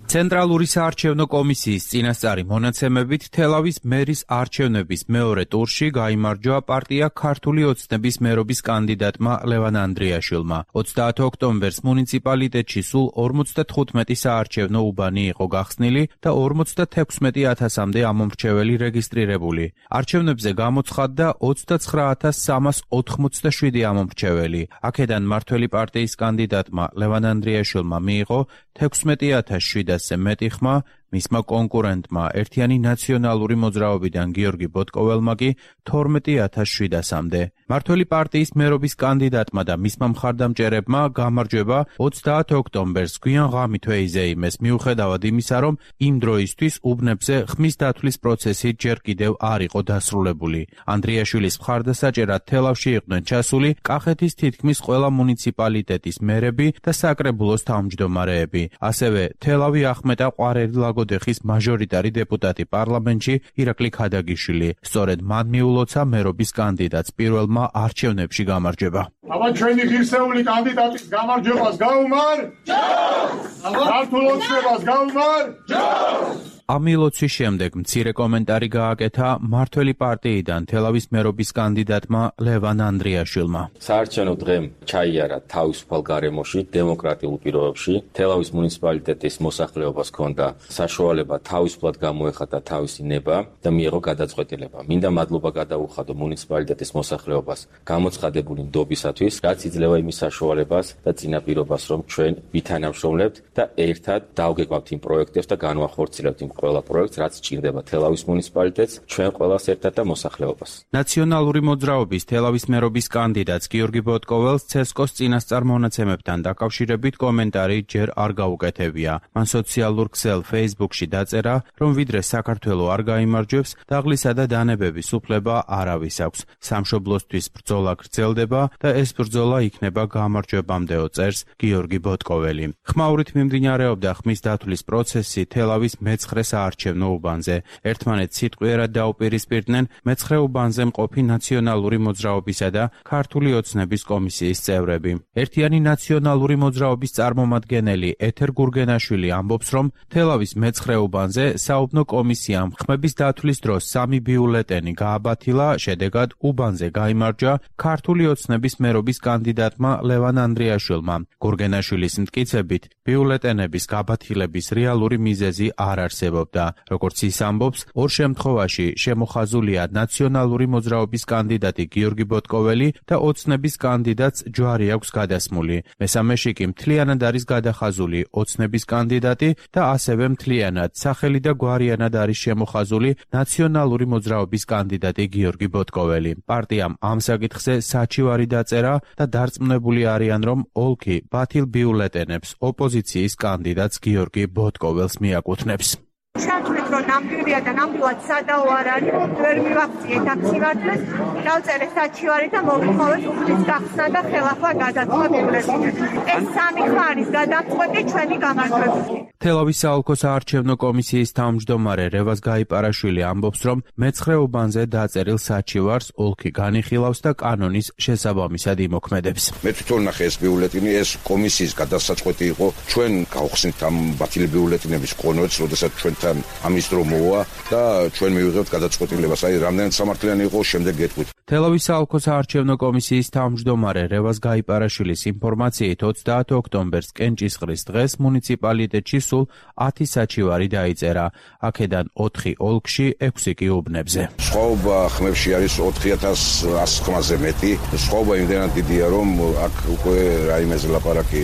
ცენტრალური საარჩევნო კომისიის წინასწარი მონაცემებით თელავის მერის არჩევნების მეორე ტურში გაიმარჯვა პარტია ქართული ოცნების მერობის კანდიდატმა ლევან ანდრიაშვილმა. ოცდაათი ოქტომბერს მუნიციპალიტეტში სულ ორმოცდათხუთმეტი საარჩევნო უბანი იყო გახსნილი და ორმოცდათექვსმეტი ათასამდე ამომრჩეველი რეგისტრირებული. არჩევნებზე გამოცხადდა ოცდაცხრა ათას სამას ოთხმოცდაშვიდი ამომრჩეველი. აქედან მმართველი პარტიის კანდიდატმა ლევან ანდრიაშვილმა მიიღო თექვსმეტი ათას შვიდასზე მეტი ხმა, მისმა კონკურენტმა ერთიანი ნაციონალური მოძრაობიდან გიორგი ბოტკოველმა კი თორმეტი ათას შვიდასამდე. მმართველი პარტიის მერობის კანდიდატმა და მისმა მხარდამჭერებმა გამარჯვება ოცდაათი ოქტომბერს გვიან ღამით ვეიზეიმეს, მიუხედავად იმისა, რომ იმ დროისთვის უბნებზე ხმის დათვლის პროცესი ჯერ კიდევ არ იყო დასრულებული. ანდრიაშვილის მხარდასაჭერად თელავში იყვნენ ჩასული კახეთის თითქმის ყველა მუნიციპალიტეტის მერები და საკრებულოს თავმჯდომარეები. ასევე თელავი ახმეტა ყვარელი ლაგოდეხის მაჟორიტარი დეპუტატი პარლამენტში ირაკლი ქადაგიშვილი. სწორედ მან მიულოცა მერობის კანდიდატს პირველმა არჩევნებში გამარჯვება. აბა ჩვენი ღირსეული კანდიდატის გამარჯვებას გაუმარ? ჯობს! ქართულ ოცნებას გაუმარ? ჯობს! ამ მილოცვის შემდეგ მცირე კომენტარი გააკეთა მართველი პარტიიდან თელავის მერობის კანდიდატმა ლევან ანდრიაშვილმა. საარჩევნო დღემ ჩაიარა თავისუფალ გარემოში, დემოკრატიულ პირობებში. თელავის მუნიციპალიტეტის მოსახლეობას ჰქონდა საშუალება თავისუფლად გამოეხატა თავისი ნება და მიეღო გადაწყვეტილება. მინდა მადლობა გადაუხადო მუნიციპალიტეტის მოსახლეობას გამოცხადებული ნდობისათვის, რაც იძლევა იმის საშუალებას და წინაპირობას, რომ ჩვენ ვითანამშრომლებთ და ერთად დავგეკვავთ იმ პროექტებს და განვახორციელებთ იმ ყველა პროექტს, რაც სჭირდება თელავის მუნიციპალიტეტს, ჩვენ ყველას ერთად და მოსახლეობას. ნაციონალური მოძრაობის თელავის მერობის კანდიდატს გიორგი ბოტკოველს ცესკოს წინასწარ მონაცემებთან დაკავშირებით კომენტარი ჯერ არ გაუკეთებია. მან სოციალურ ქსელ Facebook-ში დაწერა, რომ ვიდრე საქართველო არ გაიმარჯვებს, დაღლისა და დანებების უფლება არავის აქვს. სამშობლოსთვის ბრძოლა გრძელდება და ეს ბრძოლა იქნება გამარჯვებამდეო, წერს გიორგი ბოტკოველი. ხმაურით მიმდინარეობდა ხმის დათვლის პროცესი თელავის მეცხრე საარჩევნო უბანზე. ერთმანეთს სიტყვიერად დაუპირისპირდნენ მეცხრე უბანზე მყოფი ნაციონალური მოძრაობისა და ქართული ოცნების კომისიის წევრები. ერთიანი ნაციონალური მოძრაობის წარმომადგენელი ეთერ გურგენაშვილი ამბობს, რომ თელავის მეცხრე უბანზე საუბნო კომისიამ ხმების დათვლის დროს სამი ბიულეტენი გააბათილა, შედეგად უბანზე გაიმარჯვა ქართული ოცნების მერობის კანდიდატმა ლევან ანდრიაშვილმა. გურგენაშვილის მტკიცებით, ბიულეტენების გაბათილების რეალური მიზეზი არ არსებობდა. როგორც ის ამბობს, ორ შემთხვევაში შემოხაზულია ნაციონალური მოძრაობის კანდიდატი გიორგი ბოტკოველი და ოცნების კანდიდატს ჯვარი აქვს გადასმული. მესამეში კი მთლიანად არის გადახაზული ოცნების კანდიდატი და ასევე მთლიანად სახელი და გვარიანად არის შემოხაზული ნაციონალური მოძრაობის კანდიდატი გიორგი ბოტკოველი. პარტიამ ამ საკითხზე საჩივარი დაწერა და დარწმუნებული არიან, რომ ოლქი ბათილ ბიულეტენებს ოპოზიციის კანდიდატს გიორგი ბოტკოველს მიაკუთვნებს. Შევთვლით, რომ ნამდვილია და ნამდვილად სადაო არ არის, ვერ მივაქციეთ აქ სიმართლეს, დავწერე საჩივარი და მოვიხმოვეთ უფლის გახსნა და ხელახლა გადაწყვეტ ბიულეტენებს. ეს სამი ხმა არის გადამწყვეტი ჩვენი გამარჯვებისთვის. თელავის საოლქო საარჩევნო კომისიის თავმჯდომარე რევაზ გაიპარაშვილი ამბობს, რომ მეცხრე უბანზე დაწერილ საჩივარს ოლქი განიხილავს და კანონის შესაბამისად იმოქმედებს. მე თვითონ ნახე ეს ბიულეტენი, ეს კომისიის გადასაწყვეტი იყო. ჩვენ გავხსნით ამ ბათილი ბიულეტენების კონვერტს, როდესაც ჩვენთან ამის დრო მოვა და ჩვენ მივიღებთ გადაწყვეტილებას. აი, რამდენად სამართლიანი იყო, შემდეგ გეტყვით. თელავის საოლქო საარჩევნო კომისიის თავმჯდომარე რევაზ გაიპარაშვილის ინფორმაციით ოცდაათი ოქტომბერს კენჭისყრის დღეს მუნიციპალიტეტში სულ ათი საჩივარი დაიწერა. აქედან ოთხი ოლქში, ექვსი კი უბნებზე. სხვაობა ხმებში არის ოთხი ათას ასი ხმაზე მეტი. სხვაობა იმდენად დიდია, რომ აქ უკვე რაიმეზე ლაპარაკი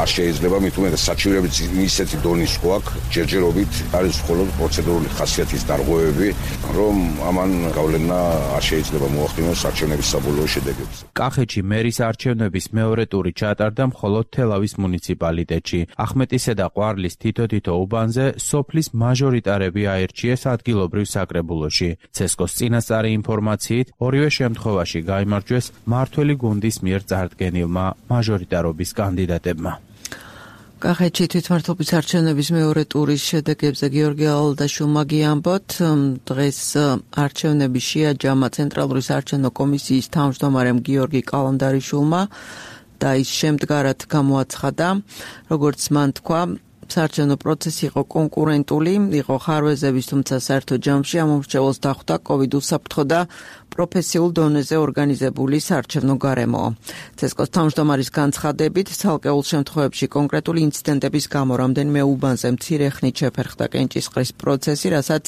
არ შეიძლება, მით უმეტეს საჩივრები ისეთი დონის გვაქვს, ჯერჯერობით არის მხოლოდ პროცედურული ხასიათის დარღვევები, რომ ამან გავლენა არ შეიძლება მოახდინოს არჩევნების საბოლოო შედეგებზე. კახეთში მერის არჩევნების მეორე ტური ჩატარდა მხოლოდ თელავის მუნიციპალიტეტში. ახმეტისა და ყვარლის თითო-თითო უბანზე სოფლის მაჟორიტარები აირჩიეს ადგილობრივ საკრებულოში. ცესკოს წინასწარი ინფორმაციით, ორივე შემთხვევაში გაიმარჯვეს მართველი გუნდის მიერ წარდგენილმა მაჟორიტარობის კანდიდატებმა. კახეთში თვითმმართველობის არჩევნების მეორე ტურის შედეგებზე გიორგი ალდაშვილმა გიამბოთ, დღეს არჩევნები შეაჯამა ცენტრალური საარჩევნო კომისიის თავმჯდომარემ გიორგი კალანდარიშვილმა და ის შემდგარად გამოაცხადა, როგორც მან თქვა, საარჩევნო პროცესი იყო კონკურენტული, იყო ხარვეზების, თუმცა საერთო ჯამში ამომრჩეველს დახვდა კოვიდ უსაფრთხო და პროფესიულ დონეზე ორგანიზებული საარჩევნო გარემო. ცესკოს თავმჯდომარის განცხადებით, ცალკეულ შემთხვევებში კონკრეტული ინციდენტების გამო რამდენიმე უბანზე მცირე ხნით შეფერხდა კენჭისყრის პროცესი, რასაც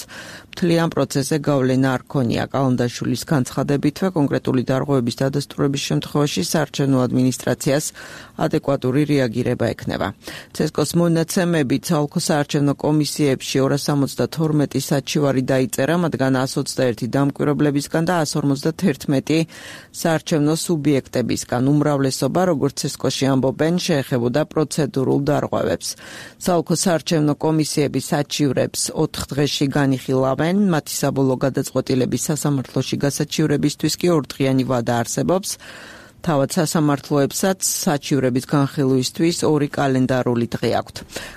მთლიან პროცესზე გავლენა არ ქონია. კალანდაშვილის განცხადებითვე, კონკრეტული დარღვევების დადასტურების შემთხვევაში საარჩევნო ადმინისტრაციას ადეკვატური რეაგირება ექნება. ცესკოს მონაცემებით, საოლქო საარჩევნო კომისიებში ორას სამოცდათორმეტი საჩივარი დაიწერა, მათგან ათას ოცდაერთი დამკვირვებლებისგან და ათას ორმოცდაათერთმეტი საარჩევნო სუბიექტებისგან. უმრავლესობა, როგორც ცესკოში ამბობენ, შეეხებოდა პროცედურულ დარღვევებს. საოლქო საარჩევნო კომისიები საჩივრებს ოთხ დღეში განიხილავენ, მათი საბოლოო გადაწყვეტილების სასამართლოში გასაჩივრებისთვის კი ორდღიანი ვადა არსებობს. თავად სასამართლოებსაც საჩივრების განხილვისთვის ორი კალენდარული დღე აქვთ.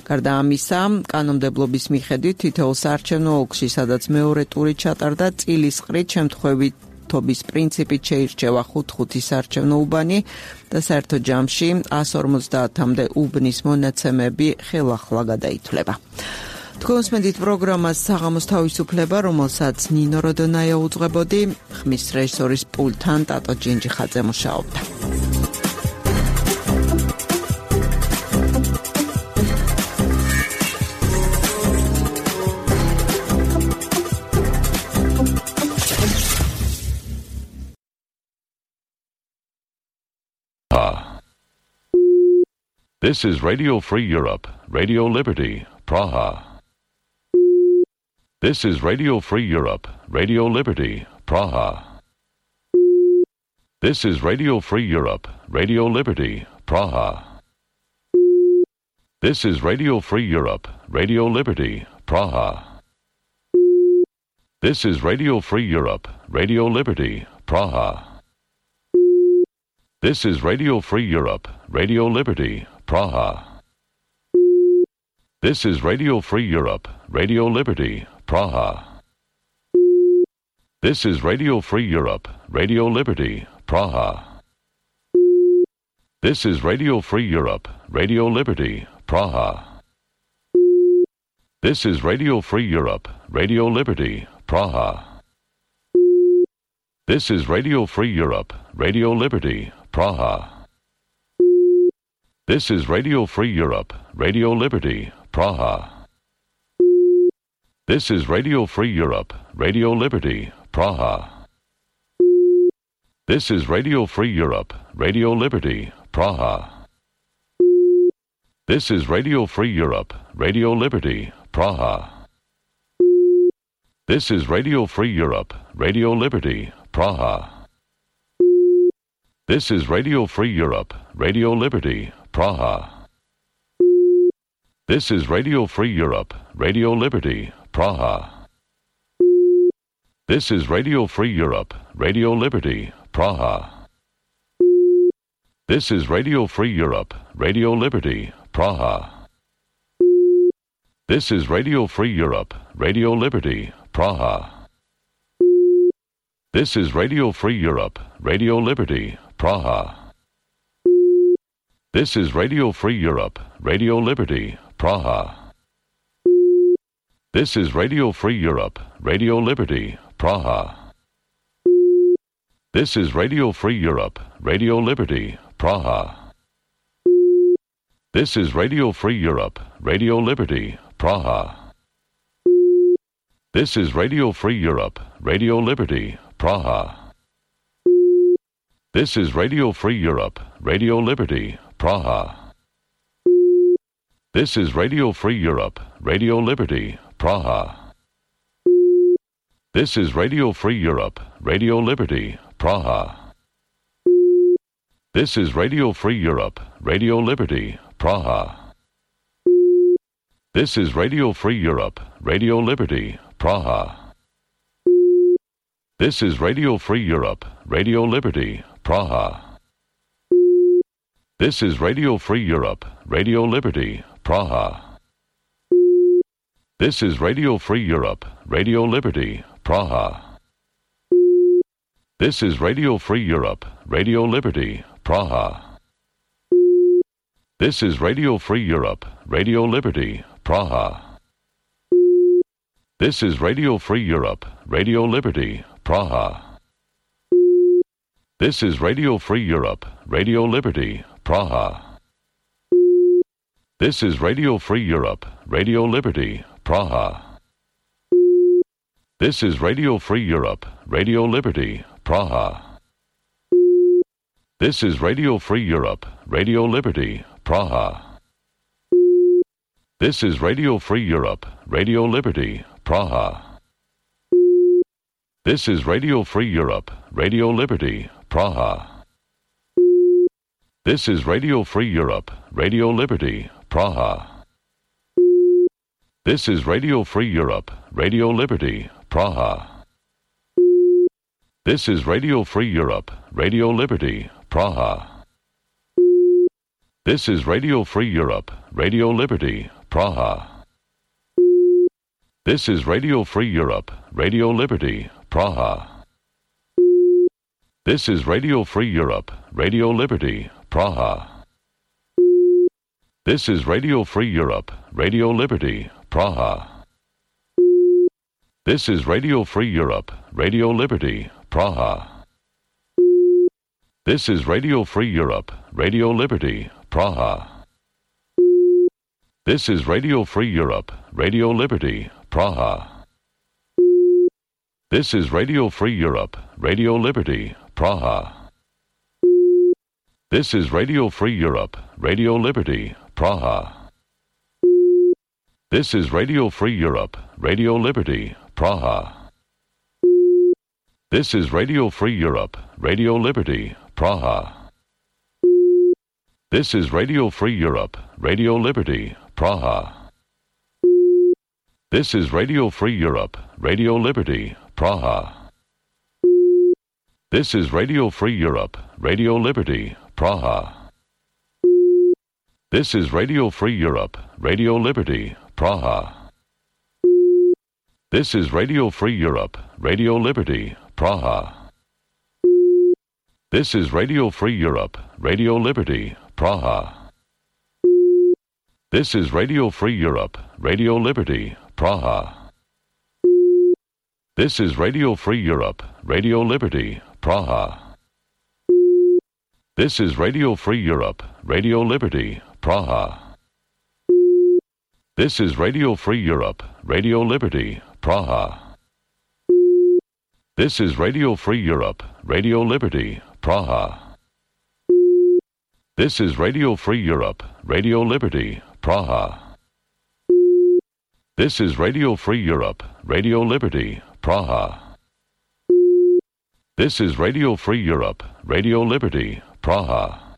გარდა ამისა, კანონმდებლობის მიხედვით თითოეულ საარჩევნო ოლქში, სადაც მეორე ტური ჩატარდა, წილისყრით შემთხვევითობის პრინციპით შეირჩევა ხუთ-ხუთი საარჩევნო უბანი და საერთო ჯამში ათას ორმოცდაათამდე უბნის მონაცემები ხელახლა გადაითვლება. თქვენსმენდით პროგრამას საღამოს თავისუფლება, რომელსაც ნინო როდონაია უძღვებოდი, ხმის რეჟისორის პულტთან ტატო ჯინჯიხაძე მუშაობდა. This is Radio Free Europe, Radio Liberty, Praha. This is Radio Free Europe, Radio Liberty, Praha. This is Radio Free Europe, Radio Liberty, Praha. This is Radio Free Europe, Radio Liberty, Praha. This is Radio Free Europe, Radio Liberty, Praha. This is Radio Free Europe, Radio Liberty, Praha. This is Radio Free Europe, Radio Liberty, Praha. This is Radio Free Europe, Radio Liberty, Praha. This is Radio Free Europe, Radio Liberty, Praha. This is Radio Free Europe, Radio Liberty, Praha. This is Radio Free Europe, Radio Liberty, Praha. This is Radio Free Europe, Radio Liberty, Praha. This is Radio Free Europe, Radio Liberty, Praha. This is Radio Free Europe, Radio Liberty, Praha. This is Radio Free Europe, Radio Liberty, Praha. This is Radio Free Europe, Radio Liberty, Praha. This is Radio Free Europe, Radio Liberty, Praha. This is Radio Free Europe, Radio Liberty, Praha. This is Radio Free Europe, Radio Liberty, Praha. This is Radio Free Europe, Radio Liberty, Praha. This is Radio Free Europe, Radio Liberty, Praha. This is Radio Free Europe, Radio Liberty, Praha. This is Radio Free Europe, Radio Liberty, Praha. This is Radio Free Europe, Radio Liberty, Praha. This is Radio Free Europe, Radio Liberty, Praha. This is Radio Free Europe, Radio Liberty, Praha. This is Radio Free Europe, Radio Liberty, Praha. This is Radio Free Europe, Radio Liberty, Praha. This is Radio Free Europe, Radio Liberty, Praha. This is Radio Free Europe, Radio Liberty, Praha. This is Radio Free Europe, Radio Liberty, Praha. This is Radio Free Europe, Radio Liberty, Praha. This is Radio Free Europe, Radio Liberty, Praha. This is Radio Free Europe, Radio Liberty, Praha. This is Radio Free Europe, Radio Liberty, Praha. This is Radio Free Europe, Radio Liberty, Praha. This is Radio Free Europe, Radio Liberty, Praha. This is Radio Free Europe, Radio Liberty, Praha. This is Radio Free Europe, Radio Liberty, Praha. This is Radio Free Europe, Radio Liberty, Praha. This is Radio Free Europe, Radio Liberty, Praha. This is Radio Free Europe, Radio Liberty, Praha. This is Radio Free Europe, Radio Liberty, Praha. This is Radio Free Europe, Radio Liberty, Praha. This is Radio Free Europe, Radio Liberty, Praha. This is Radio Free Europe, Radio Liberty, Praha. This is Radio Free Europe, Radio Liberty, Praha. This is Radio Free Europe, Radio Liberty, Praha. This is Radio Free Europe, Radio Liberty, Praha. This is Radio Free Europe, Radio Liberty, Praha. This is Radio Free Europe, Radio Liberty, Praha. This is Radio Free Europe, Radio Liberty, Praha. This is Radio Free Europe, Radio Liberty, Praha. This is Radio Free Europe, Radio Liberty, Praha. This is Radio Free Europe, Radio Liberty, Praha. This is Radio Free Europe, Radio Liberty, Praha. This is Radio Free Europe, Radio Liberty, Praha. This is Radio Free Europe, Radio Liberty, Praha. This is Radio Free Europe, Radio Liberty, Praha. This is Radio Free Europe, Radio Liberty, Praha. This is Radio Free Europe, Radio Liberty, Praha. This is Radio Free Europe, Radio Liberty, Praha. This is Radio Free Europe, Radio Liberty, Praha. This is Radio Free Europe, Radio Liberty, Praha. This is Radio Free Europe, Radio Liberty, Praha. This is Radio Free Europe, Radio Liberty, Praha. This is Radio Free Europe, Radio Liberty, Praha. This is Radio Free Europe, Radio Liberty, Praha. This is Radio Free Europe, Radio Liberty, Praha. This is Radio Free Europe, Radio Liberty, Praha. This is Radio Free Europe, Radio Liberty, Praha. This is Radio Free Europe, Radio Liberty, Praha.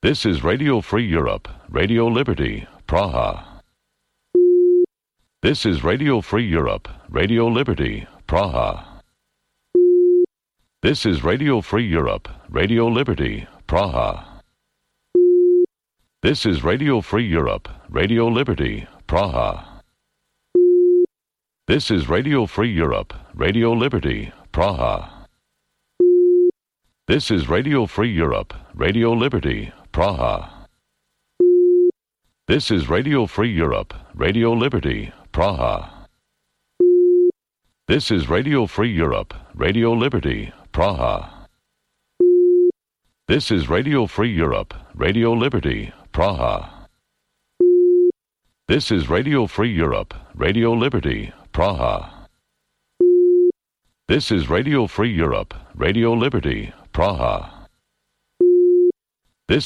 This is Radio Free Europe, Radio Liberty, Praha. This is Radio Free Europe, Radio Liberty, Praha. This is Radio Free Europe, Radio Liberty, Praha. This is Radio Free Europe, Radio Liberty, Praha. This is Radio Free Europe, Radio Liberty, Praha. This is Radio Free Europe, Radio Liberty, Praha. This is Radio Free Europe, Radio Liberty, Praha. This is Radio Free Europe, Radio Liberty, Praha. This is Radio Free Europe, Radio Liberty, Praha. This is Radio Free Europe, Radio Liberty, Praha. This is Radio Free Europe, Radio Liberty, Praha.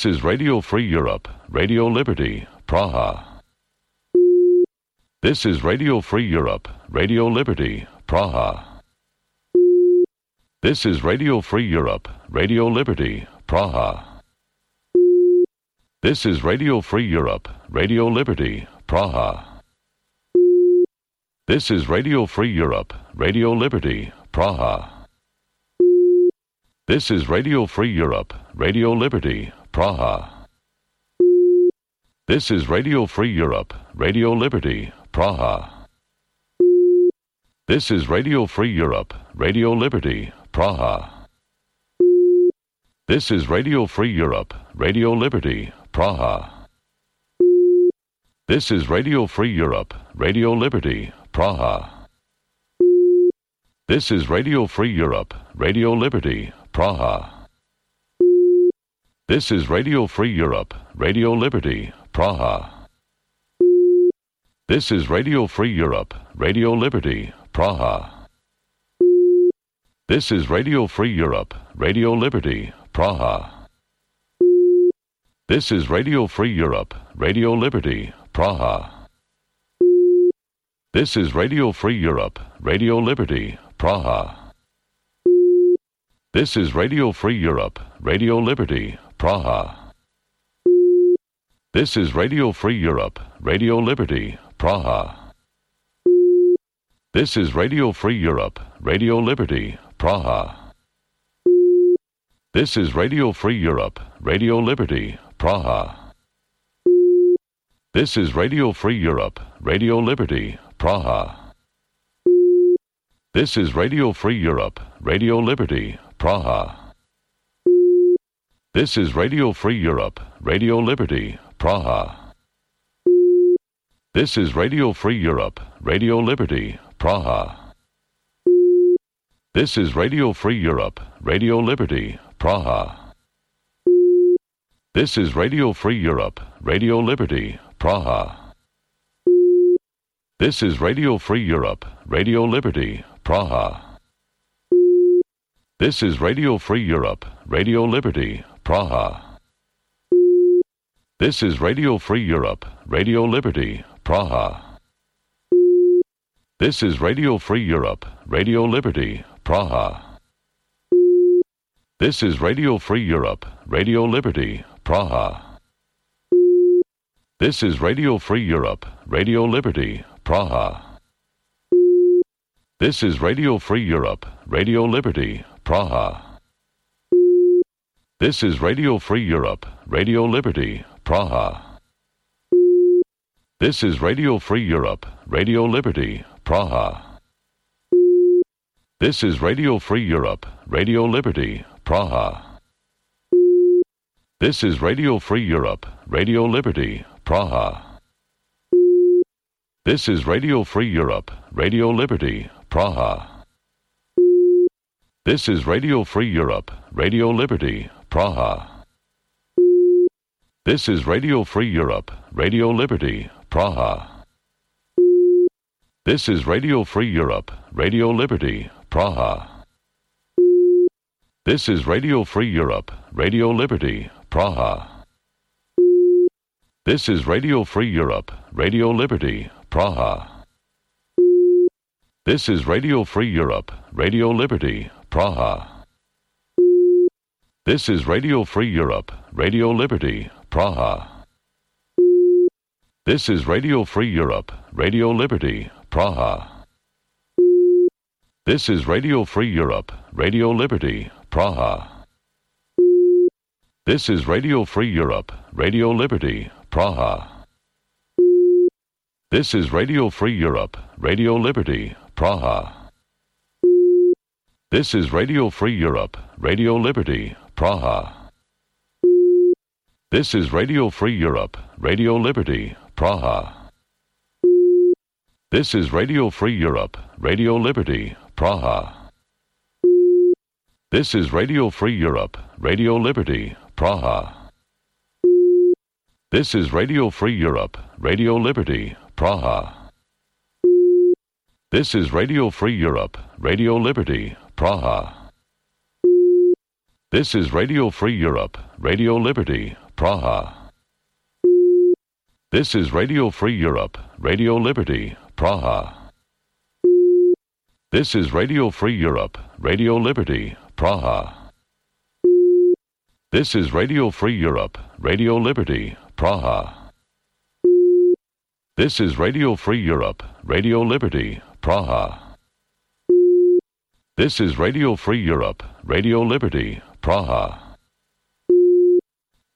This is Radio Free Europe, Radio Liberty, Praha. This is Radio Free Europe, Radio Liberty, Praha. This is Radio Free Europe, Radio Liberty, Praha. This is Radio Free Europe, Radio Liberty, Praha. This is Radio Free Europe, Radio Liberty, Praha. This is Radio Free Europe, Radio Liberty, Praha. This is Radio Free Europe, Radio Liberty, Praha. This is Radio Free Europe, Radio Liberty, Praha. This is Radio Free Europe, Radio Liberty, Praha. This is Radio Free Europe, Radio Liberty, Praha. This is Radio Free Europe, Radio Liberty, Praha. This is Radio Free Europe, Radio Liberty, Praha. This is Radio Free Europe, Radio Liberty, Praha. This is Radio Free Europe, Radio Liberty, Praha. This is Radio Free Europe, Radio Liberty, Praha. This is Radio Free Europe, Radio Liberty, Praha. This is Radio Free Europe, Radio Liberty, Praha. This is Radio Free Europe, Radio Liberty, Praha. This is Radio Free Europe, Radio Liberty, Praha. This is Radio Free Europe, Radio Liberty, Praha. This is Radio Free Europe, Radio Liberty, Praha. This is Radio Free Europe, Radio Liberty, Praha. This is Radio Free Europe, Radio Liberty, Praha. This is Radio Free Europe, Radio Liberty, Praha. This is Radio Free Europe, Radio Liberty, Praha. This is Radio Free Europe, Radio Liberty, Praha. This is Radio Free Europe, Radio Liberty, Praha. This is Radio Free Europe, Radio Liberty, Praha. This is Radio Free Europe, Radio Liberty, Praha. This is Radio Free Europe, Radio Liberty, Praha. This is Radio Free Europe, Radio Liberty, Praha. This is Radio Free Europe, Radio Liberty, Praha. This is Radio Free Europe, Radio Liberty, Praha. This is Radio Free Europe, Radio Liberty, Praha. This is Radio Free Europe, Radio Liberty, Praha. This is Radio Free Europe, Radio Liberty, Praha. This is Radio Free Europe, Radio Liberty, Praha. This is Radio Free Europe, Radio Liberty, Praha. This is Radio Free Europe, Radio Liberty, Praha. This is Radio Free Europe, Radio Liberty, Praha. This is Radio Free Europe, Radio Liberty, Praha. This is Radio Free Europe, Radio Liberty, Praha. This is Radio Free Europe, Radio Liberty, Praha. This is Radio Free Europe, Radio Liberty, Praha. This is Radio Free Europe, Radio Liberty, Praha. This is Radio Free Europe, Radio Liberty, Praha. This is Radio Free Europe, Radio Liberty, Praha. This is Radio Free Europe, Radio Liberty, Praha. This is Radio Free Europe, Radio Liberty, Praha. This is Radio Free Europe, Radio Liberty, Praha. This is Radio Free Europe, Radio Liberty, Praha. This is Radio Free Europe, Radio Liberty, Praha. This is Radio Free Europe, Radio Liberty, Praha. This is Radio Free Europe, Radio Liberty, Praha. This is Radio Free Europe, Radio Liberty, Praha. This is Radio Free Europe, Radio Liberty, Praha. This is Radio Free Europe, Radio Liberty, Praha. This is Radio Free Europe, Radio Liberty, Praha. This is Radio Free Europe, Radio Liberty, Praha. This is Radio Free Europe, Radio Liberty, Praha. This is Radio Free Europe, Radio Liberty, Praha.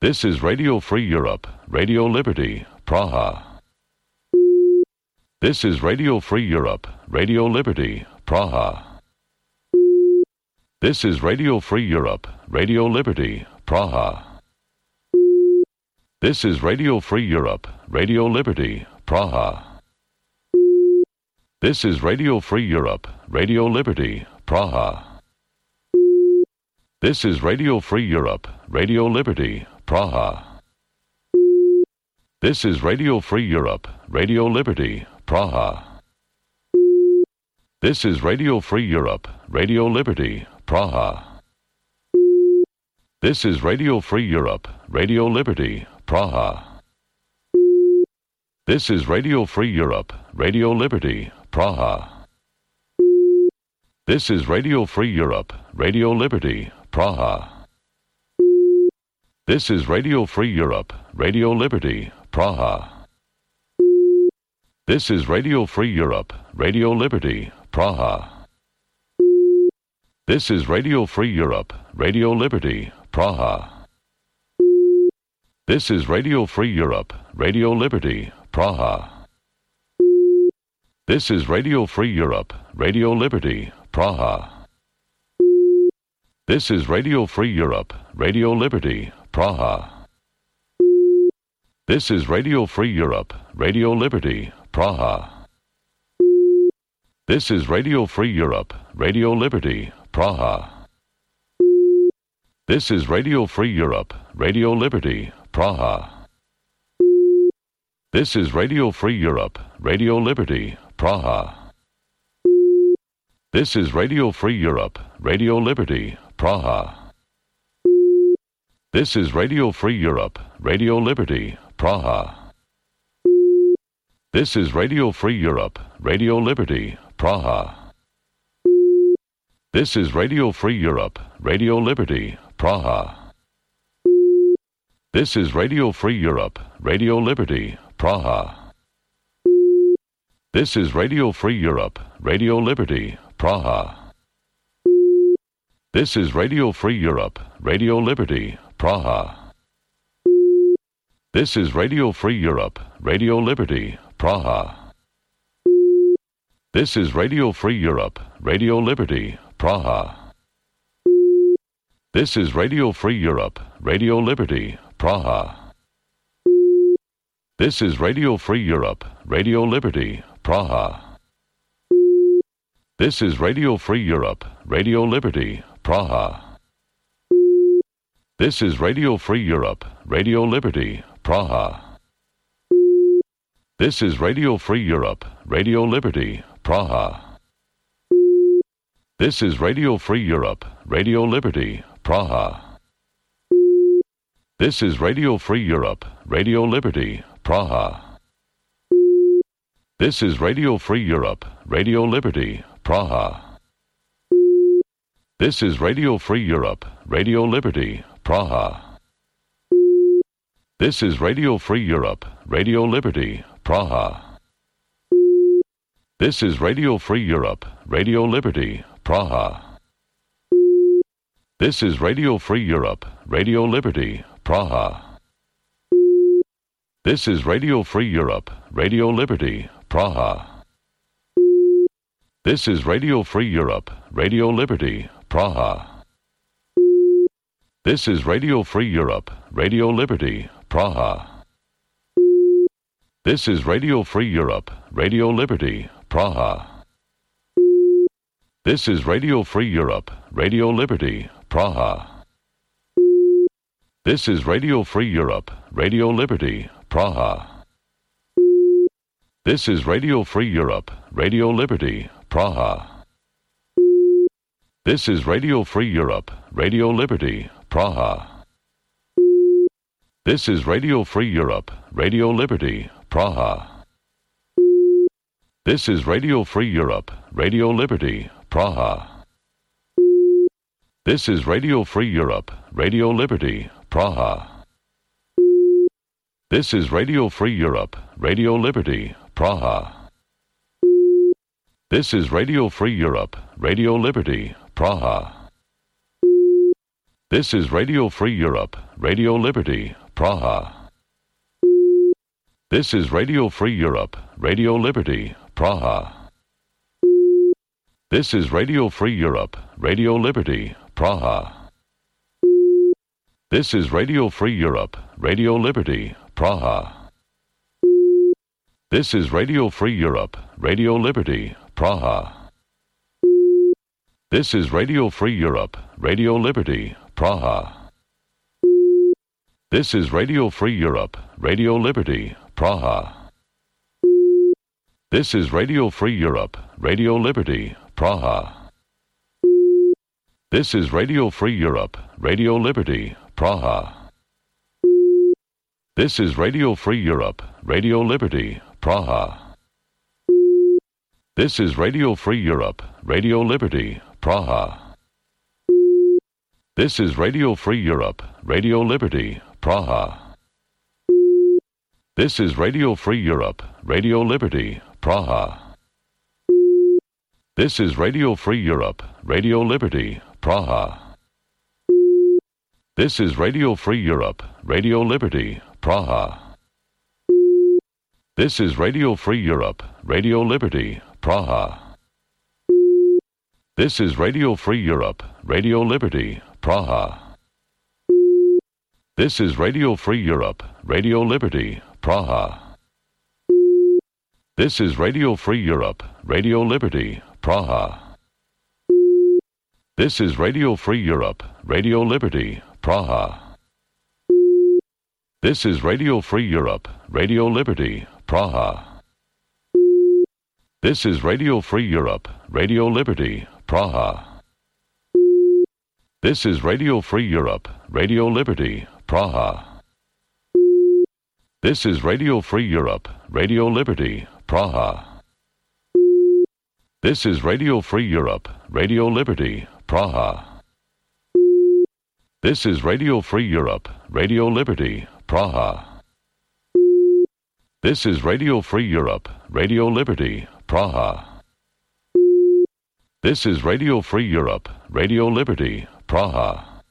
This is Radio Free Europe, Radio Liberty, Praha. This is Radio Free Europe, Radio Liberty, Praha. This is Radio Free Europe, Radio Liberty, Praha. This is Radio Free Europe, Radio Liberty, Praha. This is Radio Free Europe, Radio Liberty, Praha. This is Radio Free Europe, Radio Liberty, Praha. This is Radio Free Europe, Radio Liberty, Praha. This is Radio Free Europe, Radio Liberty, Praha. This is Radio Free Europe, Radio Liberty, Praha. This is Radio Free Europe, Radio Liberty, Praha. This is Radio Free Europe, Radio Liberty, Praha. This is Radio Free Europe, Radio Liberty, Praha. This is Radio Free Europe, Radio Liberty, Praha. This is Radio Free Europe, Radio Liberty, Praha. This is Radio Free Europe, Radio Liberty, Praha. This is Radio Free Europe, Radio Liberty, Praha. This is Radio Free Europe, Radio Liberty, Praha. This is Radio Free Europe, Radio Liberty, Praha. This is Radio Free Europe, Radio Liberty, Praha. This is Radio Free Europe, Radio Liberty, Praha. This is Radio Free Europe, Radio Liberty, Praha. This is Radio Free Europe, Radio Liberty, Praha. This is Radio Free Europe, Radio Liberty, Praha. This is Radio Free Europe, Radio Liberty, Praha. This is Radio Free Europe, Radio Liberty, Praha. This is Radio Free Europe, Radio Liberty, Praha. This is Radio Free Europe, Radio Liberty, Praha. This is Radio Free Europe, Radio Liberty, Praha. This is Radio Free Europe, Radio Liberty, Praha. This is Radio Free Europe, Radio Liberty, Praha. This is Radio Free Europe, Radio Liberty, Praha. This is Radio Free Europe, Radio Liberty, Praha. This is Radio Free Europe, Radio Liberty, Praha. This is Radio Free Europe, Radio Liberty, Praha. This is Radio Free Europe, Radio Liberty, Praha. This is Radio Free Europe, Radio Liberty, Praha. This is Radio Free Europe, Radio Liberty, Praha. This is Radio Free Europe, Radio Liberty, Praha. This is Radio Free Europe, Radio Liberty, Praha. This is Radio Free Europe, Radio Liberty, Praha. This is Radio Free Europe, Radio Liberty, Praha. This is Radio Free Europe, Radio Liberty, Praha. This is Radio Free Europe, Radio Liberty, Praha. This is Radio Free Europe, Radio Liberty, Praha. This is Radio Free Europe, Radio Liberty, Praha. This is Radio Free Europe, Radio Liberty, Praha. This is Radio Free Europe, Radio Liberty, Praha. This is Radio Free Europe, Radio Liberty, Praha. This is Radio Free Europe, Radio Liberty, Praha. This is Radio Free Europe, Radio Liberty, Praha. This is Radio Free Europe, Radio Liberty, Praha. This is Radio Free Europe, Radio Liberty, Praha. This is Radio Free Europe, Radio Liberty, Praha. This is Radio Free Europe, Radio Liberty, Praha. This is Radio Free Europe, Radio Liberty, Praha. This is Radio Free Europe, Radio Liberty, Praha. This is Radio Free Europe, Radio Liberty, Praha. This is Radio Free Europe, Radio Liberty, Praha. This is Radio Free Europe, Radio Liberty, Praha. This is Radio Free Europe, Radio Liberty, Praha. This is Radio Free Europe, Radio Liberty, Praha. This is Radio Free Europe, Radio Liberty, Praha. This is Radio Free Europe, Radio Liberty, Praha. This is Radio Free Europe, Radio Liberty, Praha. This is Radio Free Europe, Radio Liberty, Praha. This is Radio Free Europe, Radio Liberty, Praha. This is Radio Free Europe, Radio Liberty, Praha. This is Radio Free Europe, Radio Liberty, Praha. This is Radio Free Europe, Radio Liberty, Praha. This is Radio Free Europe, Radio Liberty, Praha. This is Radio Free Europe, Radio Liberty, Praha. This is Radio Free Europe, Radio Liberty, Praha. This is Radio Free Europe, Radio Liberty, Praha. This is Radio Free Europe, Radio Liberty, Praha. This is Radio Free Europe, Radio Liberty, Praha. This is Radio Free Europe, Radio Liberty, Praha. This is Radio Free Europe, Radio Liberty, Praha. This is Radio Free Europe, Radio Liberty, Praha. This is Radio Free Europe, Radio Liberty, Praha. This is Radio Free Europe, Radio Liberty, Praha. This is Radio Free Europe, Radio Liberty, Praha. This is Radio Free Europe, Radio Liberty, Praha. This is Radio Free Europe, Radio Liberty, Praha.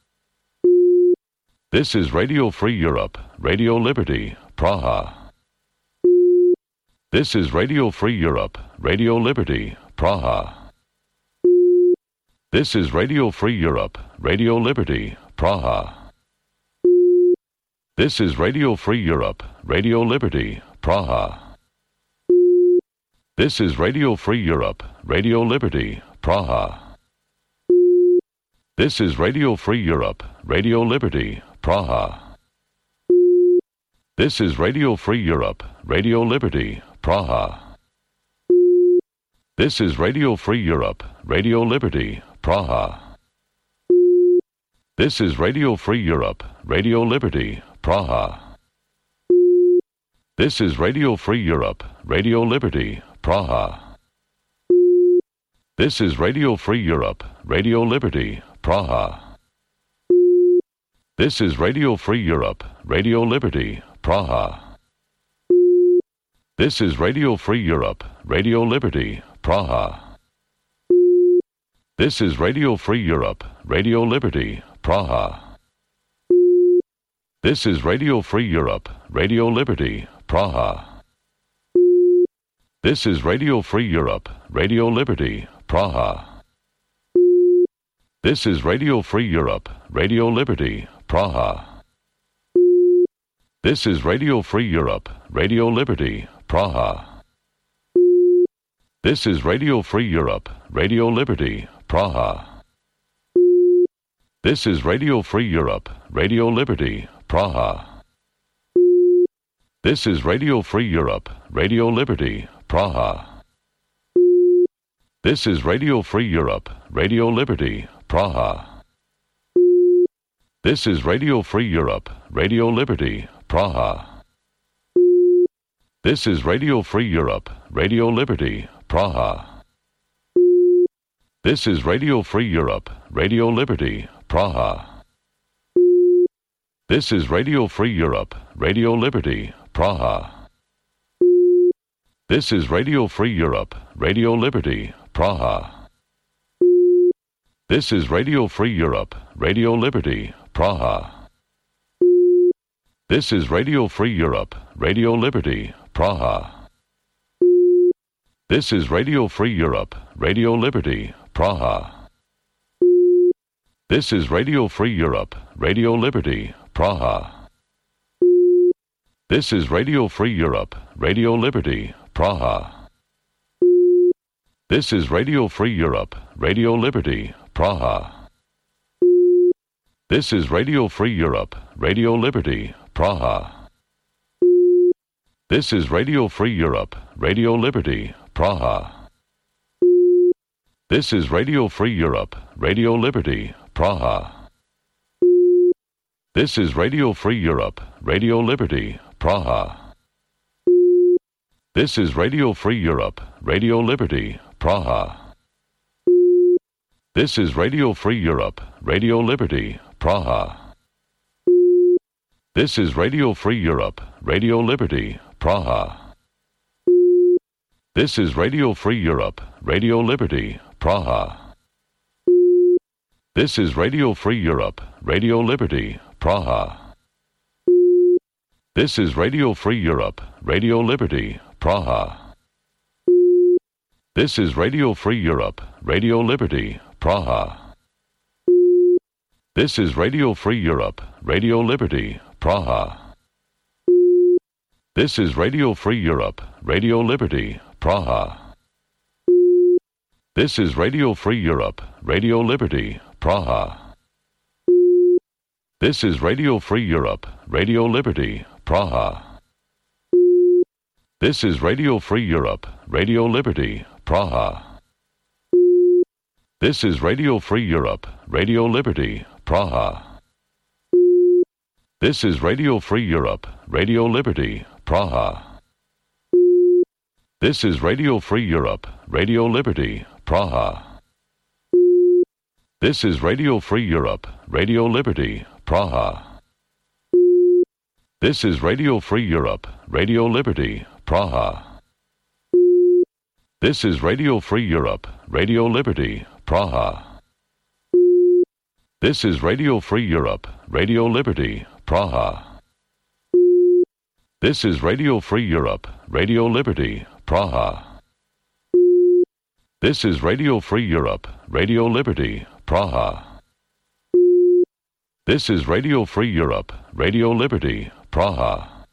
This is Radio Free Europe, Radio Liberty, Praha. This is Radio Free Europe, Radio Liberty, Praha. This is Radio Free Europe, Radio Liberty, Praha. This is Radio Free Europe, Radio Liberty, Praha. This is Radio Free Europe, Radio Liberty, Praha. This is Radio Free Europe, Radio Liberty, Praha. This is Radio Free Europe, Radio Liberty, Praha. This is Radio Free Europe, Radio Liberty, Praha. This is Radio Free Europe, Radio Liberty, Praha. This is Radio Free Europe, Radio Liberty, Praha. This is Radio Free Europe, Radio Liberty, Praha. This is Radio Free Europe, Radio Liberty, Praha. This is Radio Free Europe, Radio Liberty, Praha. This is Radio Free Europe, Radio Liberty, Praha. This is Radio Free Europe, Radio Liberty, Praha. This is Radio Free Europe, Radio Liberty, Praha. This is Radio Free Europe, Radio Liberty, Praha. This is Radio Free Europe, Radio Liberty, Praha. This is Radio Free Europe, Radio Liberty, Praha. This is Radio Free Europe, Radio Liberty, Praha. This is Radio Free Europe, Radio Liberty, Praha. This is Radio Free Europe, Radio Liberty, Praha. This is Radio Free Europe, Radio Liberty, Praha. This is Radio Free Europe, Radio Liberty, Praha. This is Radio Free Europe, Radio Liberty, Praha. This is Radio Free Europe, Radio Liberty, Praha. This is Radio Free Europe, Radio Liberty, Praha. This is Radio Free Europe, Radio Liberty, Praha. This is Radio Free Europe, Radio Liberty, Praha. This is Radio Free Europe, Radio Liberty, Praha. This is Radio Free Europe, Radio Liberty, Praha. This is Radio Free Europe, Radio Liberty, Praha. This is Radio Free Europe, Radio Liberty, Praha. This is Radio Free Europe, Radio Liberty, Praha. This is Radio Free Europe, Radio Liberty, Praha. This is Radio Free Europe, Radio Liberty, Praha. This is Radio Free Europe, Radio Liberty, Praha. This is Radio Free Europe, Radio Liberty, Praha. This is Radio Free Europe, Radio Liberty, Praha. This is Radio Free Europe, Radio Liberty, Praha. This is Radio Free Europe, Radio Liberty, Praha. This is Radio Free Europe, Radio Liberty, Praha. This is Radio Free Europe, Radio Liberty, Praha. This is Radio Free Europe, Radio Liberty, Praha. This is Radio Free Europe, Radio Liberty, Praha. This is Radio Free Europe, Radio Liberty, Praha. This is Radio Free Europe, Radio Liberty, Praha. This is Radio Free Europe, Radio Liberty, Praha. This is Radio Free Europe, Radio Liberty, Praha. This is Radio Free Europe, Radio Liberty, Praha. This is Radio Free Europe, Radio Liberty, Praha. This is Radio Free Europe, Radio Liberty, Praha. This is Radio Free Europe, Radio Liberty, Praha. This is Radio Free Europe, Radio Liberty, Praha. This is Radio Free Europe, Radio Liberty, Praha. This is Radio Free Europe, Radio Liberty, Praha. This is Radio Free Europe, Radio Liberty, Praha. This is Radio Free Europe, Radio Liberty, Praha. This is Radio Free Europe, Radio Liberty, Praha.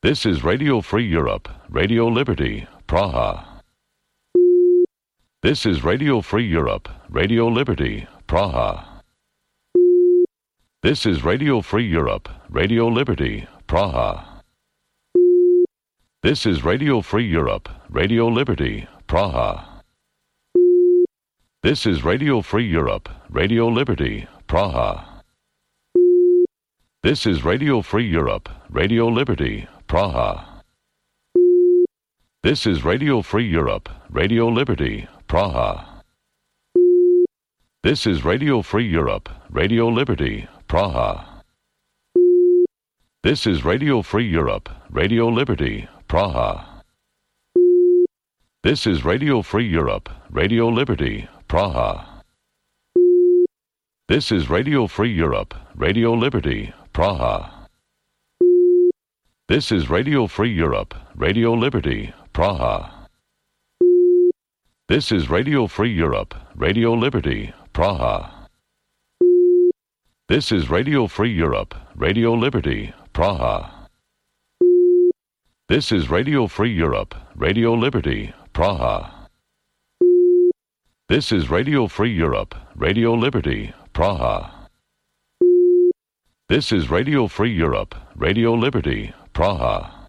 This is Radio Free Europe, Radio Liberty, Praha. This is Radio Free Europe, Radio Liberty, Praha. This is Radio Free Europe, Radio Liberty, Praha. This is Radio Free Europe, Radio Liberty, Praha. This is Radio Free Europe, Radio Liberty, Praha. This is Radio Free Europe, Radio Liberty, Praha. This is Radio Free Europe, Radio Liberty, Praha. This is Radio Free Europe, Radio Liberty, Praha. This is Radio Free Europe, Radio Liberty, Praha. This is Radio Free Europe, Radio Liberty, Praha. This is Radio Free Europe, Radio Liberty, Praha. This is Radio Free Europe, Radio Liberty, Praha. This is Radio Free Europe, Radio Liberty, Praha. This is Radio Free Europe, Radio Liberty, Praha. This is Radio Free Europe, Radio Liberty, Praha. This is Radio Free Europe, Radio Liberty, Praha. This is Radio Free Europe, Radio Liberty, Praha.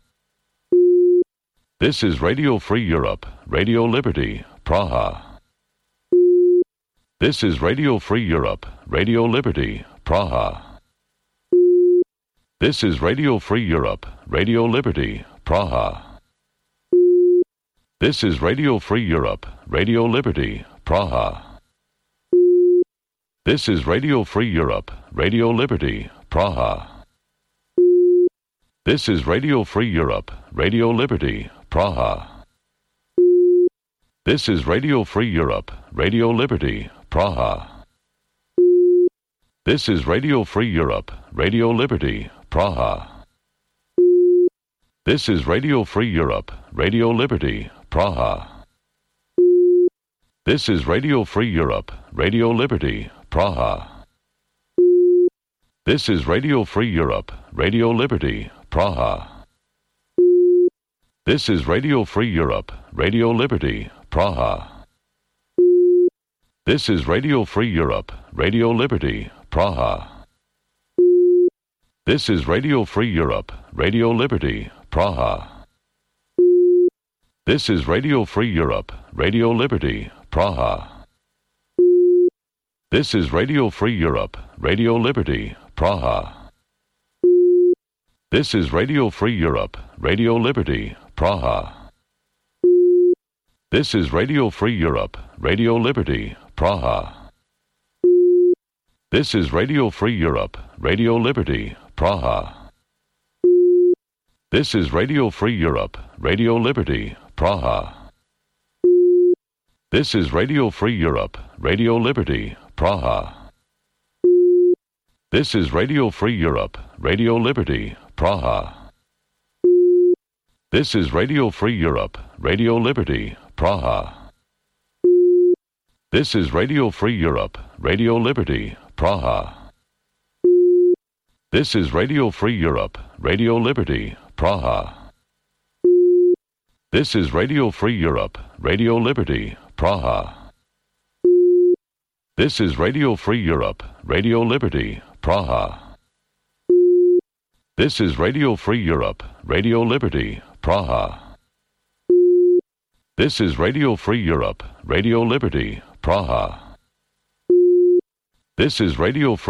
This is Radio Free Europe, Radio Liberty, Praha. This is Radio Free Europe, Radio Liberty, Praha. This is Radio Free Europe, Radio Liberty, Praha. This is Radio Free Europe, Radio Liberty, Praha. This is Radio Free Europe, Radio Liberty, Praha. This is Radio Free Europe, Radio Liberty, Praha. This is Radio Free Europe, Radio Liberty, Praha. This is Radio Free Europe, Radio Liberty, Praha. This is Radio Free Europe, Radio Liberty, Praha. This is Radio Free Europe, Radio Liberty, Praha. This is Radio Free Europe, Radio Liberty, Praha. This is Radio Free Europe, Radio Liberty, Praha. This is Radio Free Europe, Radio Liberty, Praha. This is Radio Free Europe, Radio Liberty, Praha. This is Radio Free Europe, Radio Liberty, Praha. This is Radio Free Europe, Radio Liberty, Praha. This is Radio Free Europe, Radio Liberty, Praha. This is Radio Free Europe, Radio Liberty, Praha. This is Radio Free Europe, Radio Liberty, Praha. This is Radio Free Europe, Radio Liberty, Praha. This is Radio Free Europe, Radio Liberty, Praha. This is Radio Free Europe, Radio Liberty, Praha. This is Radio Free Europe, Radio Liberty, Praha. This is Radio Free Europe, Radio Liberty, Praha. This is Radio Free Europe, Radio Liberty, Praha. This is Radio Free Europe, Radio Liberty, Praha. This is Radio Free Europe, Radio Liberty, Praha. This is Radio Free Europe, Radio Liberty, Praha. This is Radio Free Europe, Radio Liberty, Praha. This is Radio Free